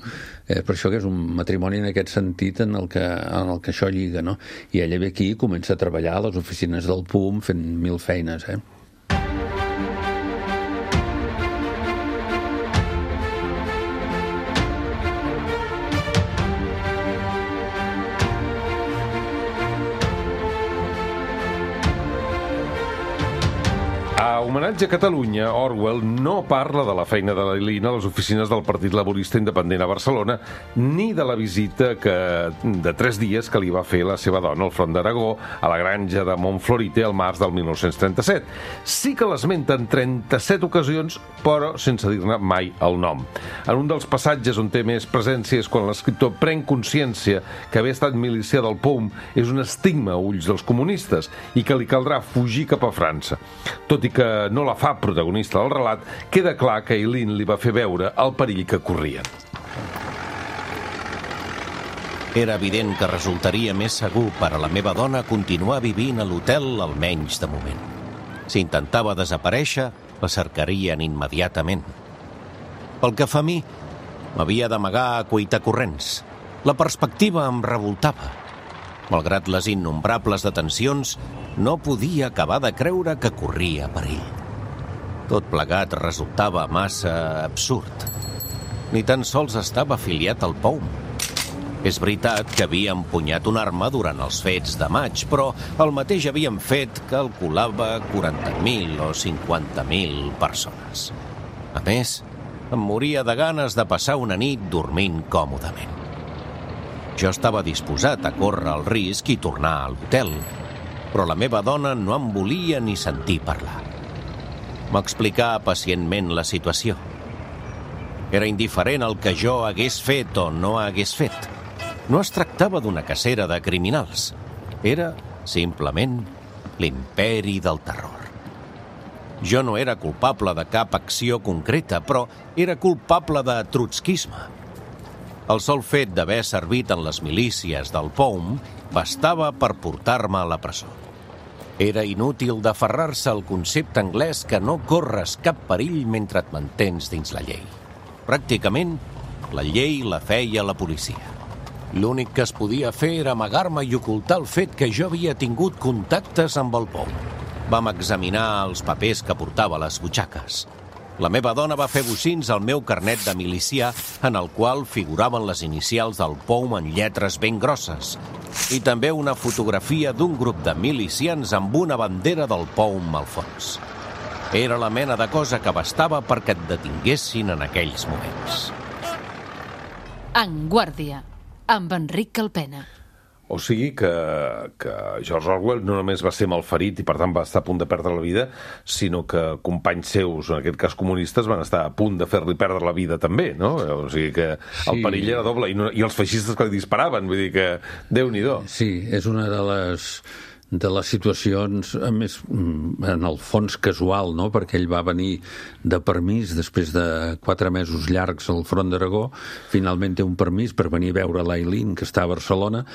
[SPEAKER 4] Eh, per això que és un matrimoni en aquest sentit en el que, en el que això lliga, no? I ella ve aquí i comença a treballar a les oficines del P U M fent mil feines, eh?
[SPEAKER 2] A homenatge a Catalunya, Orwell no parla de la feina de l'Ailín a les oficines del Partit Laborista Independent a Barcelona, ni de la visita que, de tres dies que li va fer la seva dona al Front d'Aragó a la granja de Montflorite al març del mil nou-cents trenta-set. Sí que l'esmenta en trenta-set ocasions, però sense dir-ne mai el nom. En un dels passatges on té més presència és quan l'escriptor pren consciència que haver estat milicià del P O U M és un estigma a ulls dels comunistes i que li caldrà fugir cap a França. Tot i que no la fa protagonista del relat, queda clar que Ailín li va fer veure el perill que corrien.
[SPEAKER 6] Era evident que resultaria més segur per a la meva dona continuar vivint a l'hotel, almenys de moment. Si intentava desaparèixer, la cercarien immediatament. Pel que fa a mi, m'havia d'amagar a cuitacorrents. La perspectiva em revoltava. Malgrat les innombrables detencions, no podia acabar de creure que corria perill. Tot plegat resultava massa absurd. Ni tan sols estava afiliat al P O U M. És veritat que havia empunyat una arma durant els fets de maig, però el mateix havien fet calculava quaranta mil o cinquanta mil persones. A més, em moria de ganes de passar una nit dormint còmodament. Jo estava disposat a córrer el risc i tornar a l'hotel, però la meva dona no em volia ni sentir parlar. M'explicà pacientment la situació. Era indiferent el que jo hagués fet o no hagués fet. No es tractava d'una cacera de criminals. Era, simplement, l'imperi del terror. Jo no era culpable de cap acció concreta, però era culpable de trotskisme. El sol fet d'haver servit en les milícies del P O U M bastava per portar-me a la presó. Era inútil d'aferrar-se al concepte anglès que no corres cap perill mentre et mantens dins la llei. Pràcticament, la llei la feia la policia. L'únic que es podia fer era amagar-me i ocultar el fet que jo havia tingut contactes amb el P O U M. Vam examinar els papers que portava a les butxaques. La meva dona va fer bocins al meu carnet de milicià, en el qual figuraven les inicials del P O U M en lletres ben grosses, i també una fotografia d'un grup de milicians amb una bandera del P O U M al fons. Era la mena de cosa que bastava perquè et detinguessin en aquells moments.
[SPEAKER 7] En Guàrdia, amb Enric Calpena.
[SPEAKER 2] O sigui que, que George Orwell no només va ser malferit i per tant va estar a punt de perdre la vida, sinó que companys seus, en aquest cas comunistes, van estar a punt de fer-li perdre la vida també, no? O sigui que el sí. perill era doble, i, no, i els feixistes que li disparaven, vull dir que Déu-n'hi-do.
[SPEAKER 4] Sí, és una de les de les situacions, a més, en el fons casual, no? Perquè ell va venir de permís després de quatre mesos llargs al Front d'Aragó, finalment té un permís per venir a veure l'Ailín, que està a Barcelona,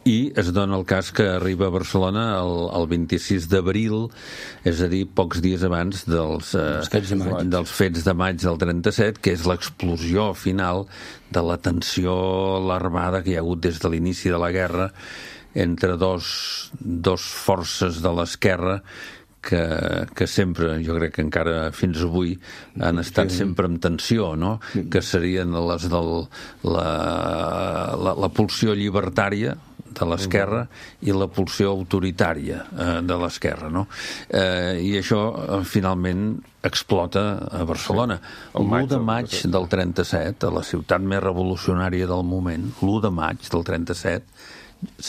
[SPEAKER 4] i es dona el cas que arriba a Barcelona el, el vint-i-sis d'abril, és a dir, pocs dies abans dels, eh,
[SPEAKER 3] fets de maig.
[SPEAKER 4] dels fets de maig del trenta-set, que és l'explosió final de la tensió alarmada que hi ha hagut des de l'inici de la guerra entre dos, dos forces de l'esquerra que, que sempre, jo crec que encara fins avui, han estat sempre en tensió, no? Que serien les del, la, la, la pulsió llibertària de l'esquerra i la pulsió autoritària eh, de l'esquerra, no? Eh, I això, eh, finalment, explota a Barcelona.
[SPEAKER 2] Sí.
[SPEAKER 4] l'u de maig del trenta-set, a la ciutat més revolucionària del moment, l'u de maig del trenta-set,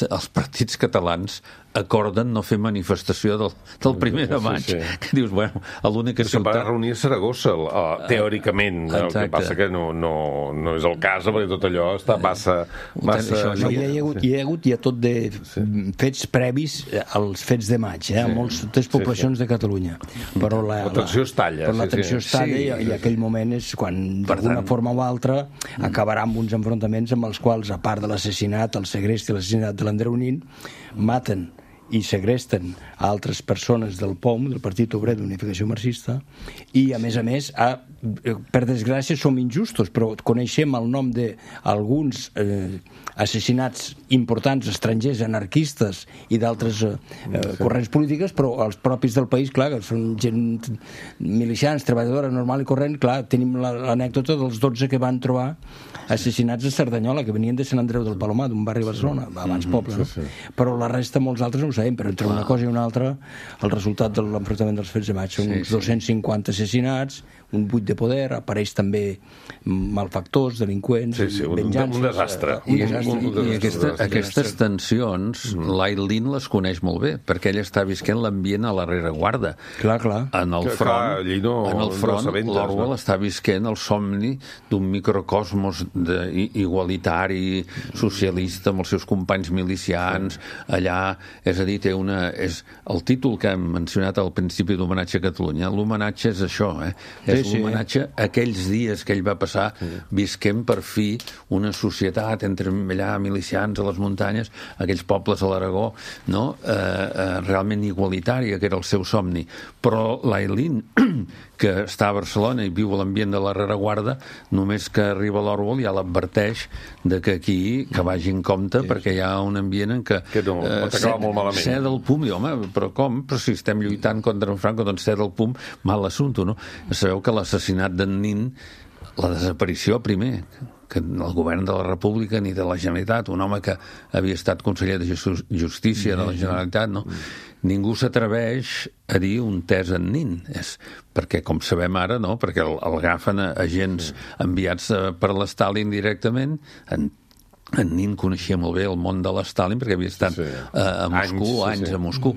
[SPEAKER 4] els partits catalans acorden no fer manifestació del, del primer de maig. Sí, sí. Que dius, bueno, l'única
[SPEAKER 2] ciutat... Se'n va reunir a Saragossa, uh, teòricament. Uh, el que passa que no, no, no és el cas, perquè tot allò està massa... massa...
[SPEAKER 3] Això, no, hi, ha hagut, hi ha hagut ja tot de sí. fets previs als fets de maig, eh, sí. a moltes poblacions sí, sí. de Catalunya. Però la,
[SPEAKER 2] la tensió es talla.
[SPEAKER 3] Però la
[SPEAKER 2] sí,
[SPEAKER 3] tensió
[SPEAKER 2] sí.
[SPEAKER 3] es talla sí, i, i aquell moment és quan, d'alguna forma o altra, acabarà amb uns enfrontaments amb els quals, a part de l'assassinat, el segrest i l'assassinat de l'Andreu Nin, maten i segresten a altres persones del P O U M, del Partit Obrer d'Unificació Marxista, i a més a més, a, per desgràcia som injustos, però coneixem el nom d'alguns eh, assassinats importants estrangers, anarquistes i d'altres eh, sí. corrents polítiques, però els propis del país, clar, que són gent milicians, treballadora normal i corrent, clar, tenim l'anècdota dels dotze que van trobar assassinats a Cerdanyola, que venien de Sant Andreu del Palomar, d'un barri de Barcelona, abans poble, no? Sí, sí. Però la resta molts altres no ho sabem, però entre una cosa i una altra el resultat de l'enfrontament dels fets de maig són uns dos-cents cinquanta assassinats, un buit de poder, apareix també malfactors, delinqüents,
[SPEAKER 2] sí, sí, un,
[SPEAKER 3] venjances...
[SPEAKER 2] Un desastre.
[SPEAKER 3] Un
[SPEAKER 4] I,
[SPEAKER 3] desastre.
[SPEAKER 4] i, i aquesta, aquestes tensions, mm. l'Aileen les coneix molt bé, perquè ell està visquent l'ambient a la rereguarda.
[SPEAKER 3] Clar, clar.
[SPEAKER 2] Que,
[SPEAKER 4] En el front,
[SPEAKER 2] clar, no,
[SPEAKER 4] en el front
[SPEAKER 2] no
[SPEAKER 4] l'Orwell no? està visquent el somni d'un microcosmos de, igualitari, socialista, amb els seus companys milicians, allà, és a dir, té una... És el títol que hem mencionat al principi d'Homenatge a Catalunya, l'homenatge és això, eh? És
[SPEAKER 3] sí,
[SPEAKER 4] l'homenatge a aquells dies que ell va passar sí. visquent per fi una societat entre allà milicians a les muntanyes, aquells pobles a l'Aragó, no? eh, eh, realment igualitària, que era el seu somni. Però l'Aileen, que està a Barcelona i viu a l'ambient de la rereguarda, només que arriba l'Orwell ja l'adverteix de que aquí, que vagi en compte, sí. perquè hi ha un ambient en què...
[SPEAKER 2] Que no, eh, pot acabar molt malament.
[SPEAKER 4] Ser del P U M, i home, però com? Però si estem lluitant contra en Franco, doncs ser del P U M, mal assumpte, no? Sabeu que l'assassinat d'en Nin, la desaparició primer, que el govern de la República ni de la Generalitat, un home que havia estat conseller de Justícia de la Generalitat, no? Ningú s'atreveix a dir un tes en Nin, és perquè, com sabem ara, no? Perquè el, el agafen a agents enviats per l'Stalin directament, en en Nin coneixia molt bé el món de l'Stalin perquè havia estat sí. a, a Moscou, anys, anys sí, sí. a Moscou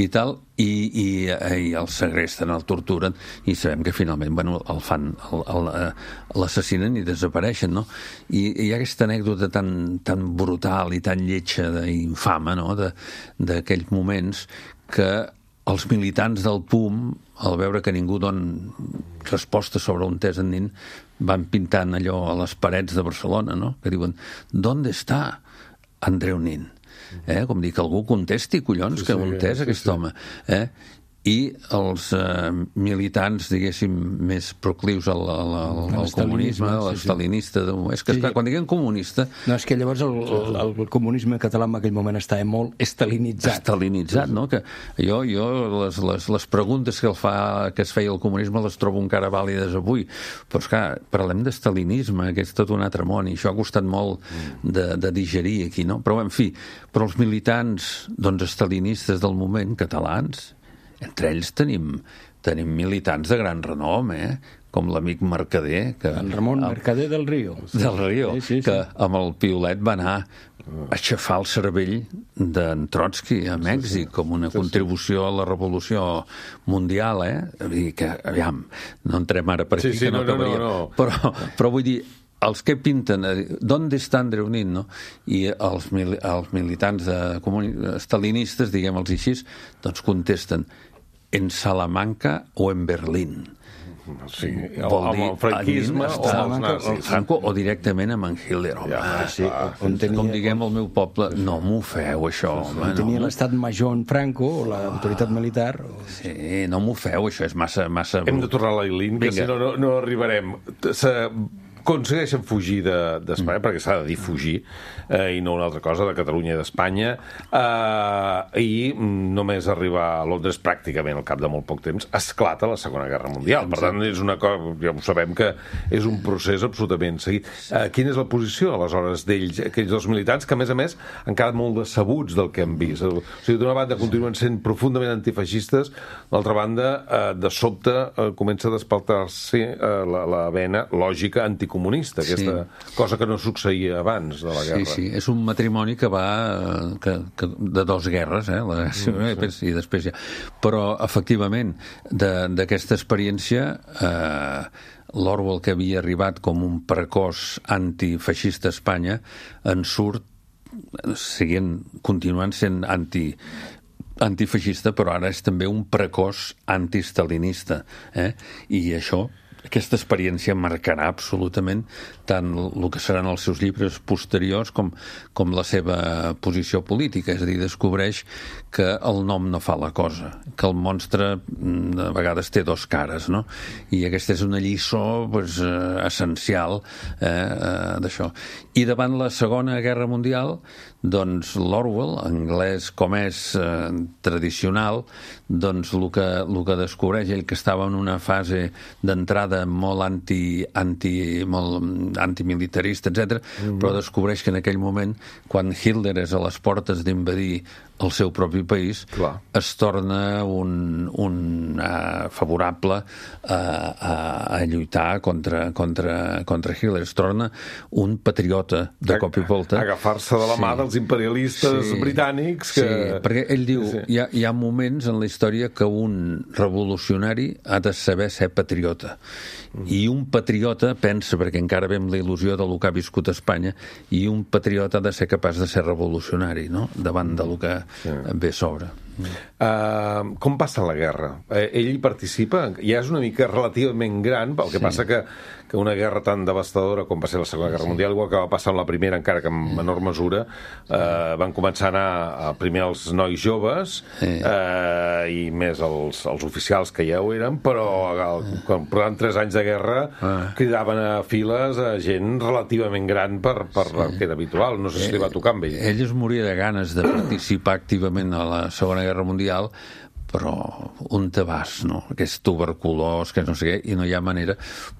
[SPEAKER 4] i tal, i, i, i el segresten, el torturen, i sabem que finalment bueno, el fan, l'assassinen i desapareixen, no? I, i hi ha aquesta anècdota tan, tan brutal i tan lletja i infama, no? D'aquells moments que els militants del P U M, al veure que ningú dona resposta sobre un tes en Nin, van pintant allò a les parets de Barcelona, no? Que diuen, ¿dónde está Andreu Nin? Eh? Com dir que algú contesti, collons, sí, que un tes sí, aquest sí. home. Eh? I els eh, militants, diguéssim, més proclius al, al, al, al comunisme, a l'estalinista... Sí, sí. És que, esclar, sí. quan diguem comunista...
[SPEAKER 3] No, és que llavors el, el, el comunisme català en aquell moment estava molt estalinitzat.
[SPEAKER 4] Estalinitzat, no? Que jo, jo les, les, les preguntes que, el fa, que es feia el comunisme les trobo encara vàlides avui. Però, esclar, parlem d'estalinisme, que és tot un altre món, i això ha costat molt de, de digerir aquí, no? Però, en fi, però els militants, doncs, estalinistes del moment, catalans... Entre ells tenim, tenim militants de gran renom, eh? Com l'amic Mercader. Que,
[SPEAKER 3] en Ramon el, Mercader del Río.
[SPEAKER 4] Del Río, sí, sí, que
[SPEAKER 3] sí.
[SPEAKER 4] amb el piolet va anar a aixafar el cervell d'en Trotsky a Mèxic, sí, sí. com una sí, contribució a la revolució mundial, eh? I que, aviam, no entrem ara per aquí, sí, sí, que no, no acabaria. No, no, no. Però, però vull dir, els que pinten, d'on està Andreu Nin, no? I els, mil, els militants de, estalinistes, diguem-los així, doncs contesten en Salamanca o en Berlín.
[SPEAKER 2] Sí, vol dir, amb el franquisme o amb els nazis.
[SPEAKER 4] Franco, o directament amb en Hitler, home. Ja, sí, on tenia, com diguem al meu poble, no m'ho feu, això, home.
[SPEAKER 3] On tenia no. l'estat major en Franco, o l'autoritat militar. O...
[SPEAKER 4] Sí, no m'ho feu, això és massa... massa...
[SPEAKER 2] Hem de tornar a l'Aileen, que si no, no, no arribarem... Se... aconsegueixen fugir d'Espanya, de, perquè s'ha de dir fugir, eh, i no una altra cosa, de Catalunya i d'Espanya, eh, i només arribar a Londres pràcticament al cap de molt poc temps esclata la Segona Guerra Mundial. Per tant, és una cosa, ja ho sabem que és un procés absolutament seguit. Eh, quina és la posició, aleshores, d'ells, aquells dos militants, que a més a més han quedat molt decebuts del que han vist? O sigui, d'una banda continuen sent profundament antifeixistes, d'altra banda, eh, de sobte eh, comença a despaltar-se eh, la, la vena lògica anticomunista, comunista, aquesta sí. cosa que no succeïa abans de la guerra.
[SPEAKER 4] Sí, sí, és un matrimoni que va que, que, de dos guerres, eh? La, mm, sí. i després ja. Però, efectivament, d'aquesta experiència, eh, l'Orwell, que havia arribat com un precoç antifeixista a Espanya, en surt seguint, continuant sent anti antifeixista, però ara és també un precoç antistalinista. Eh? I això, aquesta experiència marcarà absolutament tant el que seran els seus llibres posteriors com, com la seva posició política. És a dir, descobreix que el nom no fa la cosa, que el monstre a vegades té dos cares, no? I aquesta és una lliçó pues, eh, essencial eh, eh, d'això. I davant la Segona Guerra Mundial, doncs l'Orwell, anglès com és eh, tradicional, doncs el que, el que descobreix ell, que estava en una fase d'entrada molt anti, anti, molt antimilitarista, etcètera, mm-hmm. però descobreix que en aquell moment, quan Hitler és a les portes d'invadir al seu propi país,
[SPEAKER 2] Clar.
[SPEAKER 4] es torna un, un uh, favorable a, a, a lluitar contra, contra, contra Hitler. Es torna un patriota de cop i volta.
[SPEAKER 2] Agafar-se de la mà
[SPEAKER 4] Sí.
[SPEAKER 2] dels imperialistes
[SPEAKER 4] Sí.
[SPEAKER 2] britànics que...
[SPEAKER 4] Sí, perquè ell diu,
[SPEAKER 2] Sí.
[SPEAKER 4] hi ha, hi ha moments en la història que un revolucionari ha de saber ser patriota. Mm. I un patriota pensa, perquè encara ve amb la il·lusió del que ha viscut a Espanya, i un patriota ha de ser capaç de ser revolucionari, no?, davant del que sí. ve a sobre.
[SPEAKER 2] Uh, com passa la guerra? Eh, ell hi participa? Ja és una mica relativament gran, el que sí. passa que, que una guerra tan devastadora com va ser la Segona Guerra sí. Mundial, igual que va passar amb la Primera, encara que en menor mesura, uh, van començar a anar a, primer els nois joves sí. uh, i més els, els oficials que ja ho eren, però el, quan portaven tres anys de guerra ah. cridaven a files a gent relativament gran per, per sí. el que era habitual. No sé si li va tocar amb ell.
[SPEAKER 4] Ell es moria de ganes de participar activament a la Segona Guerra Mundial, però un tabàs, no? Que és tuberculós, que no sé què, i no hi ha manera.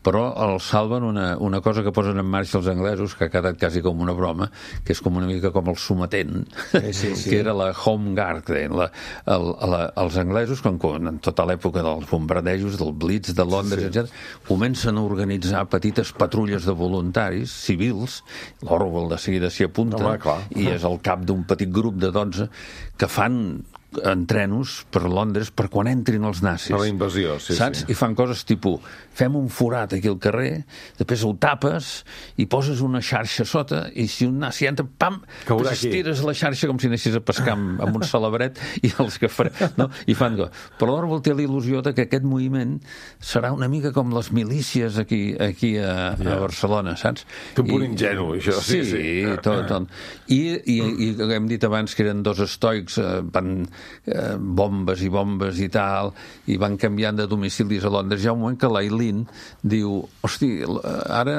[SPEAKER 4] Però el salven una, una cosa que posen en marxa els anglesos, que ha quedat quasi com una broma, que és com una mica com el sometent, sí, sí, sí. que era la Home Guard. La, el, la, els anglesos, com, en tota l'època dels bombardejos, del Blitz, de Londres, sí. etcètera, comencen a organitzar petites patrulles de voluntaris civils. L'Orwell de seguida s'hi apunta,
[SPEAKER 2] Home,
[SPEAKER 4] i és el cap d'un petit grup de dotze que fan entrenos per Londres per quan entrin els nazis.
[SPEAKER 2] A la invasió, sí,
[SPEAKER 4] saps?
[SPEAKER 2] sí.
[SPEAKER 4] I fan coses tipus, fem un forat aquí al carrer, després el tapes i poses una xarxa sota i si un nazi entra, pam,
[SPEAKER 2] caurà aquí.
[SPEAKER 4] Estires la xarxa com si anessis a pescar amb, amb un salabret i els que farem, no? I fan go. Però l'Orwell té la il·lusió de que aquest moviment serà una mica com les milícies aquí, aquí a, yeah. a Barcelona, saps?
[SPEAKER 2] Té un punt ingenu, això. Sí,
[SPEAKER 4] sí,
[SPEAKER 2] sí.
[SPEAKER 4] tot, tot. I, i, i hem dit abans que eren dos estoics, eh, van eh, bombes i bombes i tal, i van canviant de domicilis a Londres. Hi ha un moment que l'Aileen diu, hosti, ara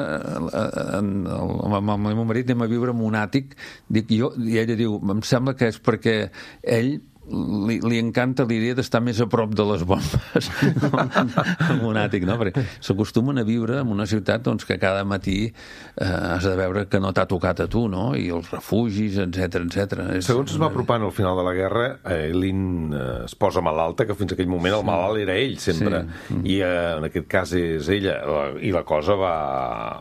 [SPEAKER 4] amb el meu marit anem a viure en un àtic, dic, jo, i ella diu, em sembla que és perquè ell Li, li encanta l'idea d'estar més a prop de les bombes en un àtic, no? Perquè s'acostumen a viure en una ciutat doncs, que cada matí eh, has de veure que no t'ha tocat a tu, no? I els refugis, etcètera, etcètera.
[SPEAKER 2] Segons es va apropant al final de la guerra, Eileen eh, es posa malalta, que fins aquell moment el malalt era ell, sempre. Sí. I eh, en aquest cas és ella. I la cosa va,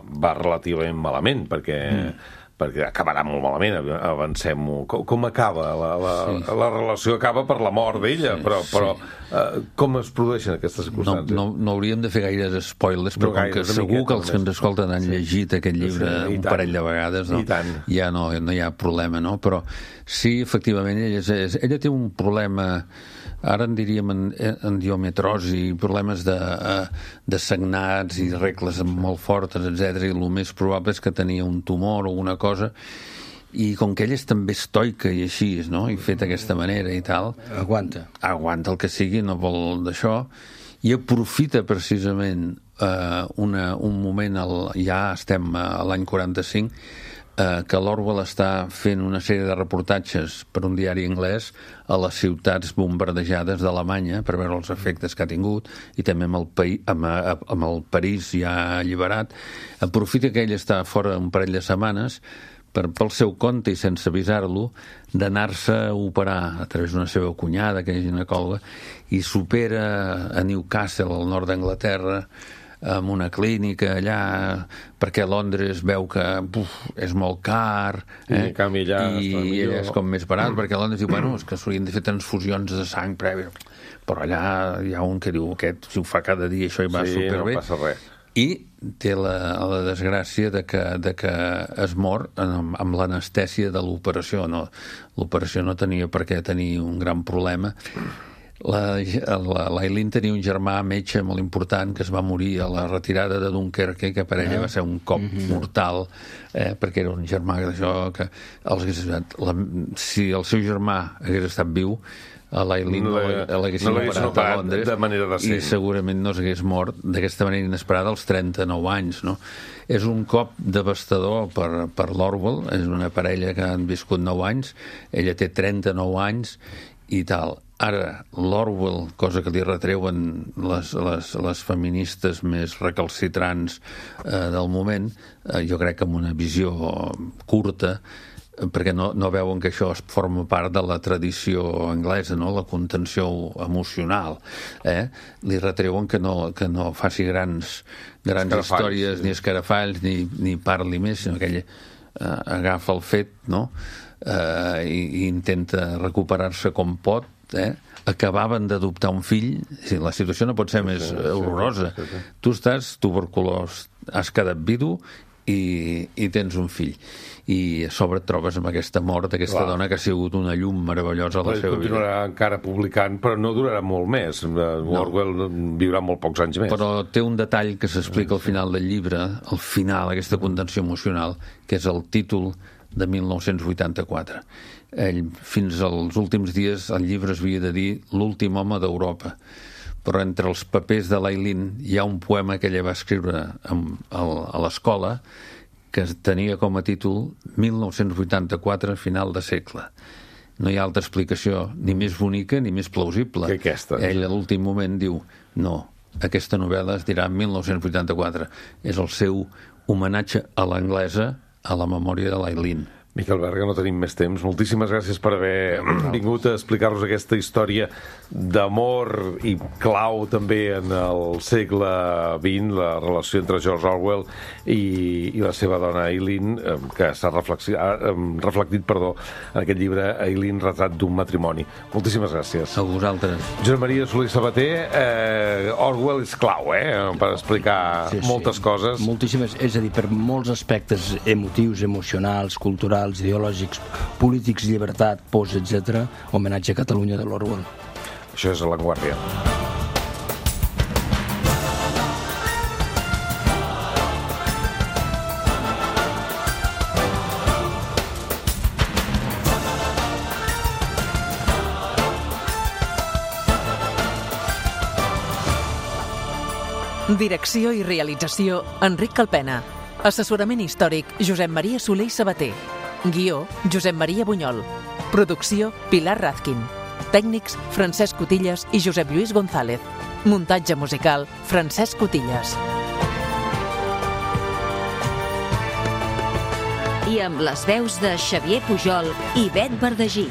[SPEAKER 2] va relativament malament, perquè... Mm. perquè acabarà molt malament, avancem-ho. Com, com acaba? La, la, sí. la relació acaba per la mort d'ella, sí, però, però sí. uh, com es produeixen aquestes circumstàncies?
[SPEAKER 4] No, no, no hauríem de fer gaires spoilers, però no com que segur miqueta, que els que ens escolten han sí. llegit aquest llibre sí, un tant. parell de vegades, no? ja no, no hi ha problema, no? Però sí, efectivament, ella, és, ella té un problema... Ara en diríem en, en diometrosi, problemes de, de sagnats i regles molt fortes, etcètera. I el més probable és que tenia un tumor o una cosa, i com que ella és també estoica i així, no? I fet d'aquesta manera i tal...
[SPEAKER 3] Aguanta.
[SPEAKER 4] Aguanta el que sigui, no vol d'això, i aprofita precisament eh, una, un moment, el, ja estem a l'any quaranta-cinc, Eh, que l'Orwell està fent una sèrie de reportatges per un diari anglès a les ciutats bombardejades d'Alemanya per veure els efectes que ha tingut, i també amb el, paí, amb, amb el París ja alliberat. Aprofita que ell està fora un parell de setmanes per, pel seu compte i sense avisar-lo, d'anar-se a operar a través d'una seva cunyada, que és ginecòloga, i s'opera a Newcastle, al nord d'Anglaterra, en una clínica allà, perquè Londres veu que buf, és molt car, eh?
[SPEAKER 2] I, canvi, allà
[SPEAKER 4] i ella és com més barat, perquè Londres diu, bueno, és que s'haurien de fer transfusions de sang prèvia, però allà hi ha un que diu, aquest, si ho fa cada dia, això hi va
[SPEAKER 2] sí,
[SPEAKER 4] superbé.
[SPEAKER 2] No passa res.
[SPEAKER 4] I té la, la desgràcia de que, de que es mor amb, amb l'anestèsia de l'operació. No, l'operació no tenia per què tenir un gran problema. L'Aileen tenia un germà metge molt important que es va morir a la retirada de Dunkerque, que per ella va ser un cop mm-hmm. mortal, eh, perquè era un germà d'això que els hagués ajudat. La, si el seu germà hagués estat viu, a l'Aileen no l'haguessin no operat a Londres
[SPEAKER 2] de manera decent.
[SPEAKER 4] I segurament no s'hagués mort d'aquesta manera inesperada als trenta-nou anys, no? És un cop devastador per, per l'Orwell, és una parella que han viscut nou anys, ella té trenta-nou anys i tal. Ara, l'Orwell, cosa que li retreuen les, les, les feministes més recalcitrants eh, del moment, eh, jo crec que amb una visió curta, perquè no, no veuen que això es forma part de la tradició anglesa, no? La contenció emocional. Eh? Li retreuen que no, que no faci grans, grans històries, sí. ni escarafalls, ni, ni parli més, sinó que ell eh, agafa el fet, no? eh, i, i intenta recuperar-se com pot. Eh? Acabaven d'adoptar un fill, la situació no pot ser més sí, horrorosa. Sí, sí, sí. Tu estàs tuberculós, has quedat vidu i, i tens un fill. I a sobre et trobes amb aquesta mort d'aquesta Clar. dona que ha sigut una llum meravellosa a la seva vida.
[SPEAKER 2] Continuarà encara publicant, però no durarà molt més. No. Orwell viurà molt pocs anys més.
[SPEAKER 4] Però té un detall que s'explica al final del llibre, al final, aquesta contenció emocional, que és el títol de mil nou-cents vuitanta-quatre. Ell, fins als últims dies, el llibre es havia de dir L'últim home d'Europa. Però entre els papers de l'Aileen hi ha un poema que ella va escriure a l'escola que tenia com a títol mil nou-cents vuitanta-quatre, final de segle. No hi ha altra explicació ni més bonica ni més plausible.
[SPEAKER 2] Que aquesta.
[SPEAKER 4] Ell a l'últim moment diu no, aquesta novel·la es dirà mil nou-cents vuitanta-quatre. És el seu homenatge a l'anglesa a la memòria de l'Aileen.
[SPEAKER 2] Miquel Berga, no tenim més temps. Moltíssimes gràcies per haver vingut a explicar-nos aquesta història d'amor i clau també en el segle vint, la relació entre George Orwell i, i la seva dona Aileen, que s'ha reflectit perdó, en aquest llibre Aileen, retrat d'un matrimoni. Moltíssimes gràcies.
[SPEAKER 4] A vosaltres.
[SPEAKER 2] Josep Maria Soler Sabater, eh, Orwell és clau, eh?, per explicar sí, sí. moltes coses.
[SPEAKER 3] Moltíssimes, és a dir, per molts aspectes emotius, emocionals, culturals, ideològics, polítics, llibertat, pors, etcètera. Homenatge a Catalunya de l'Orwell.
[SPEAKER 2] Això és a La Vanguardia.
[SPEAKER 8] Direcció i realització, Enric Calpena. Assessorament històric, Josep Maria Soler i Sabater. Guió, Josep Maria Bunyol. Producció, Pilar Razkin. Tècnics, Francesc Cotillas i Josep Lluís González. Muntatge musical, Francesc Cotillas.
[SPEAKER 9] I amb les veus de Xavier Pujol i Bet Verdagí.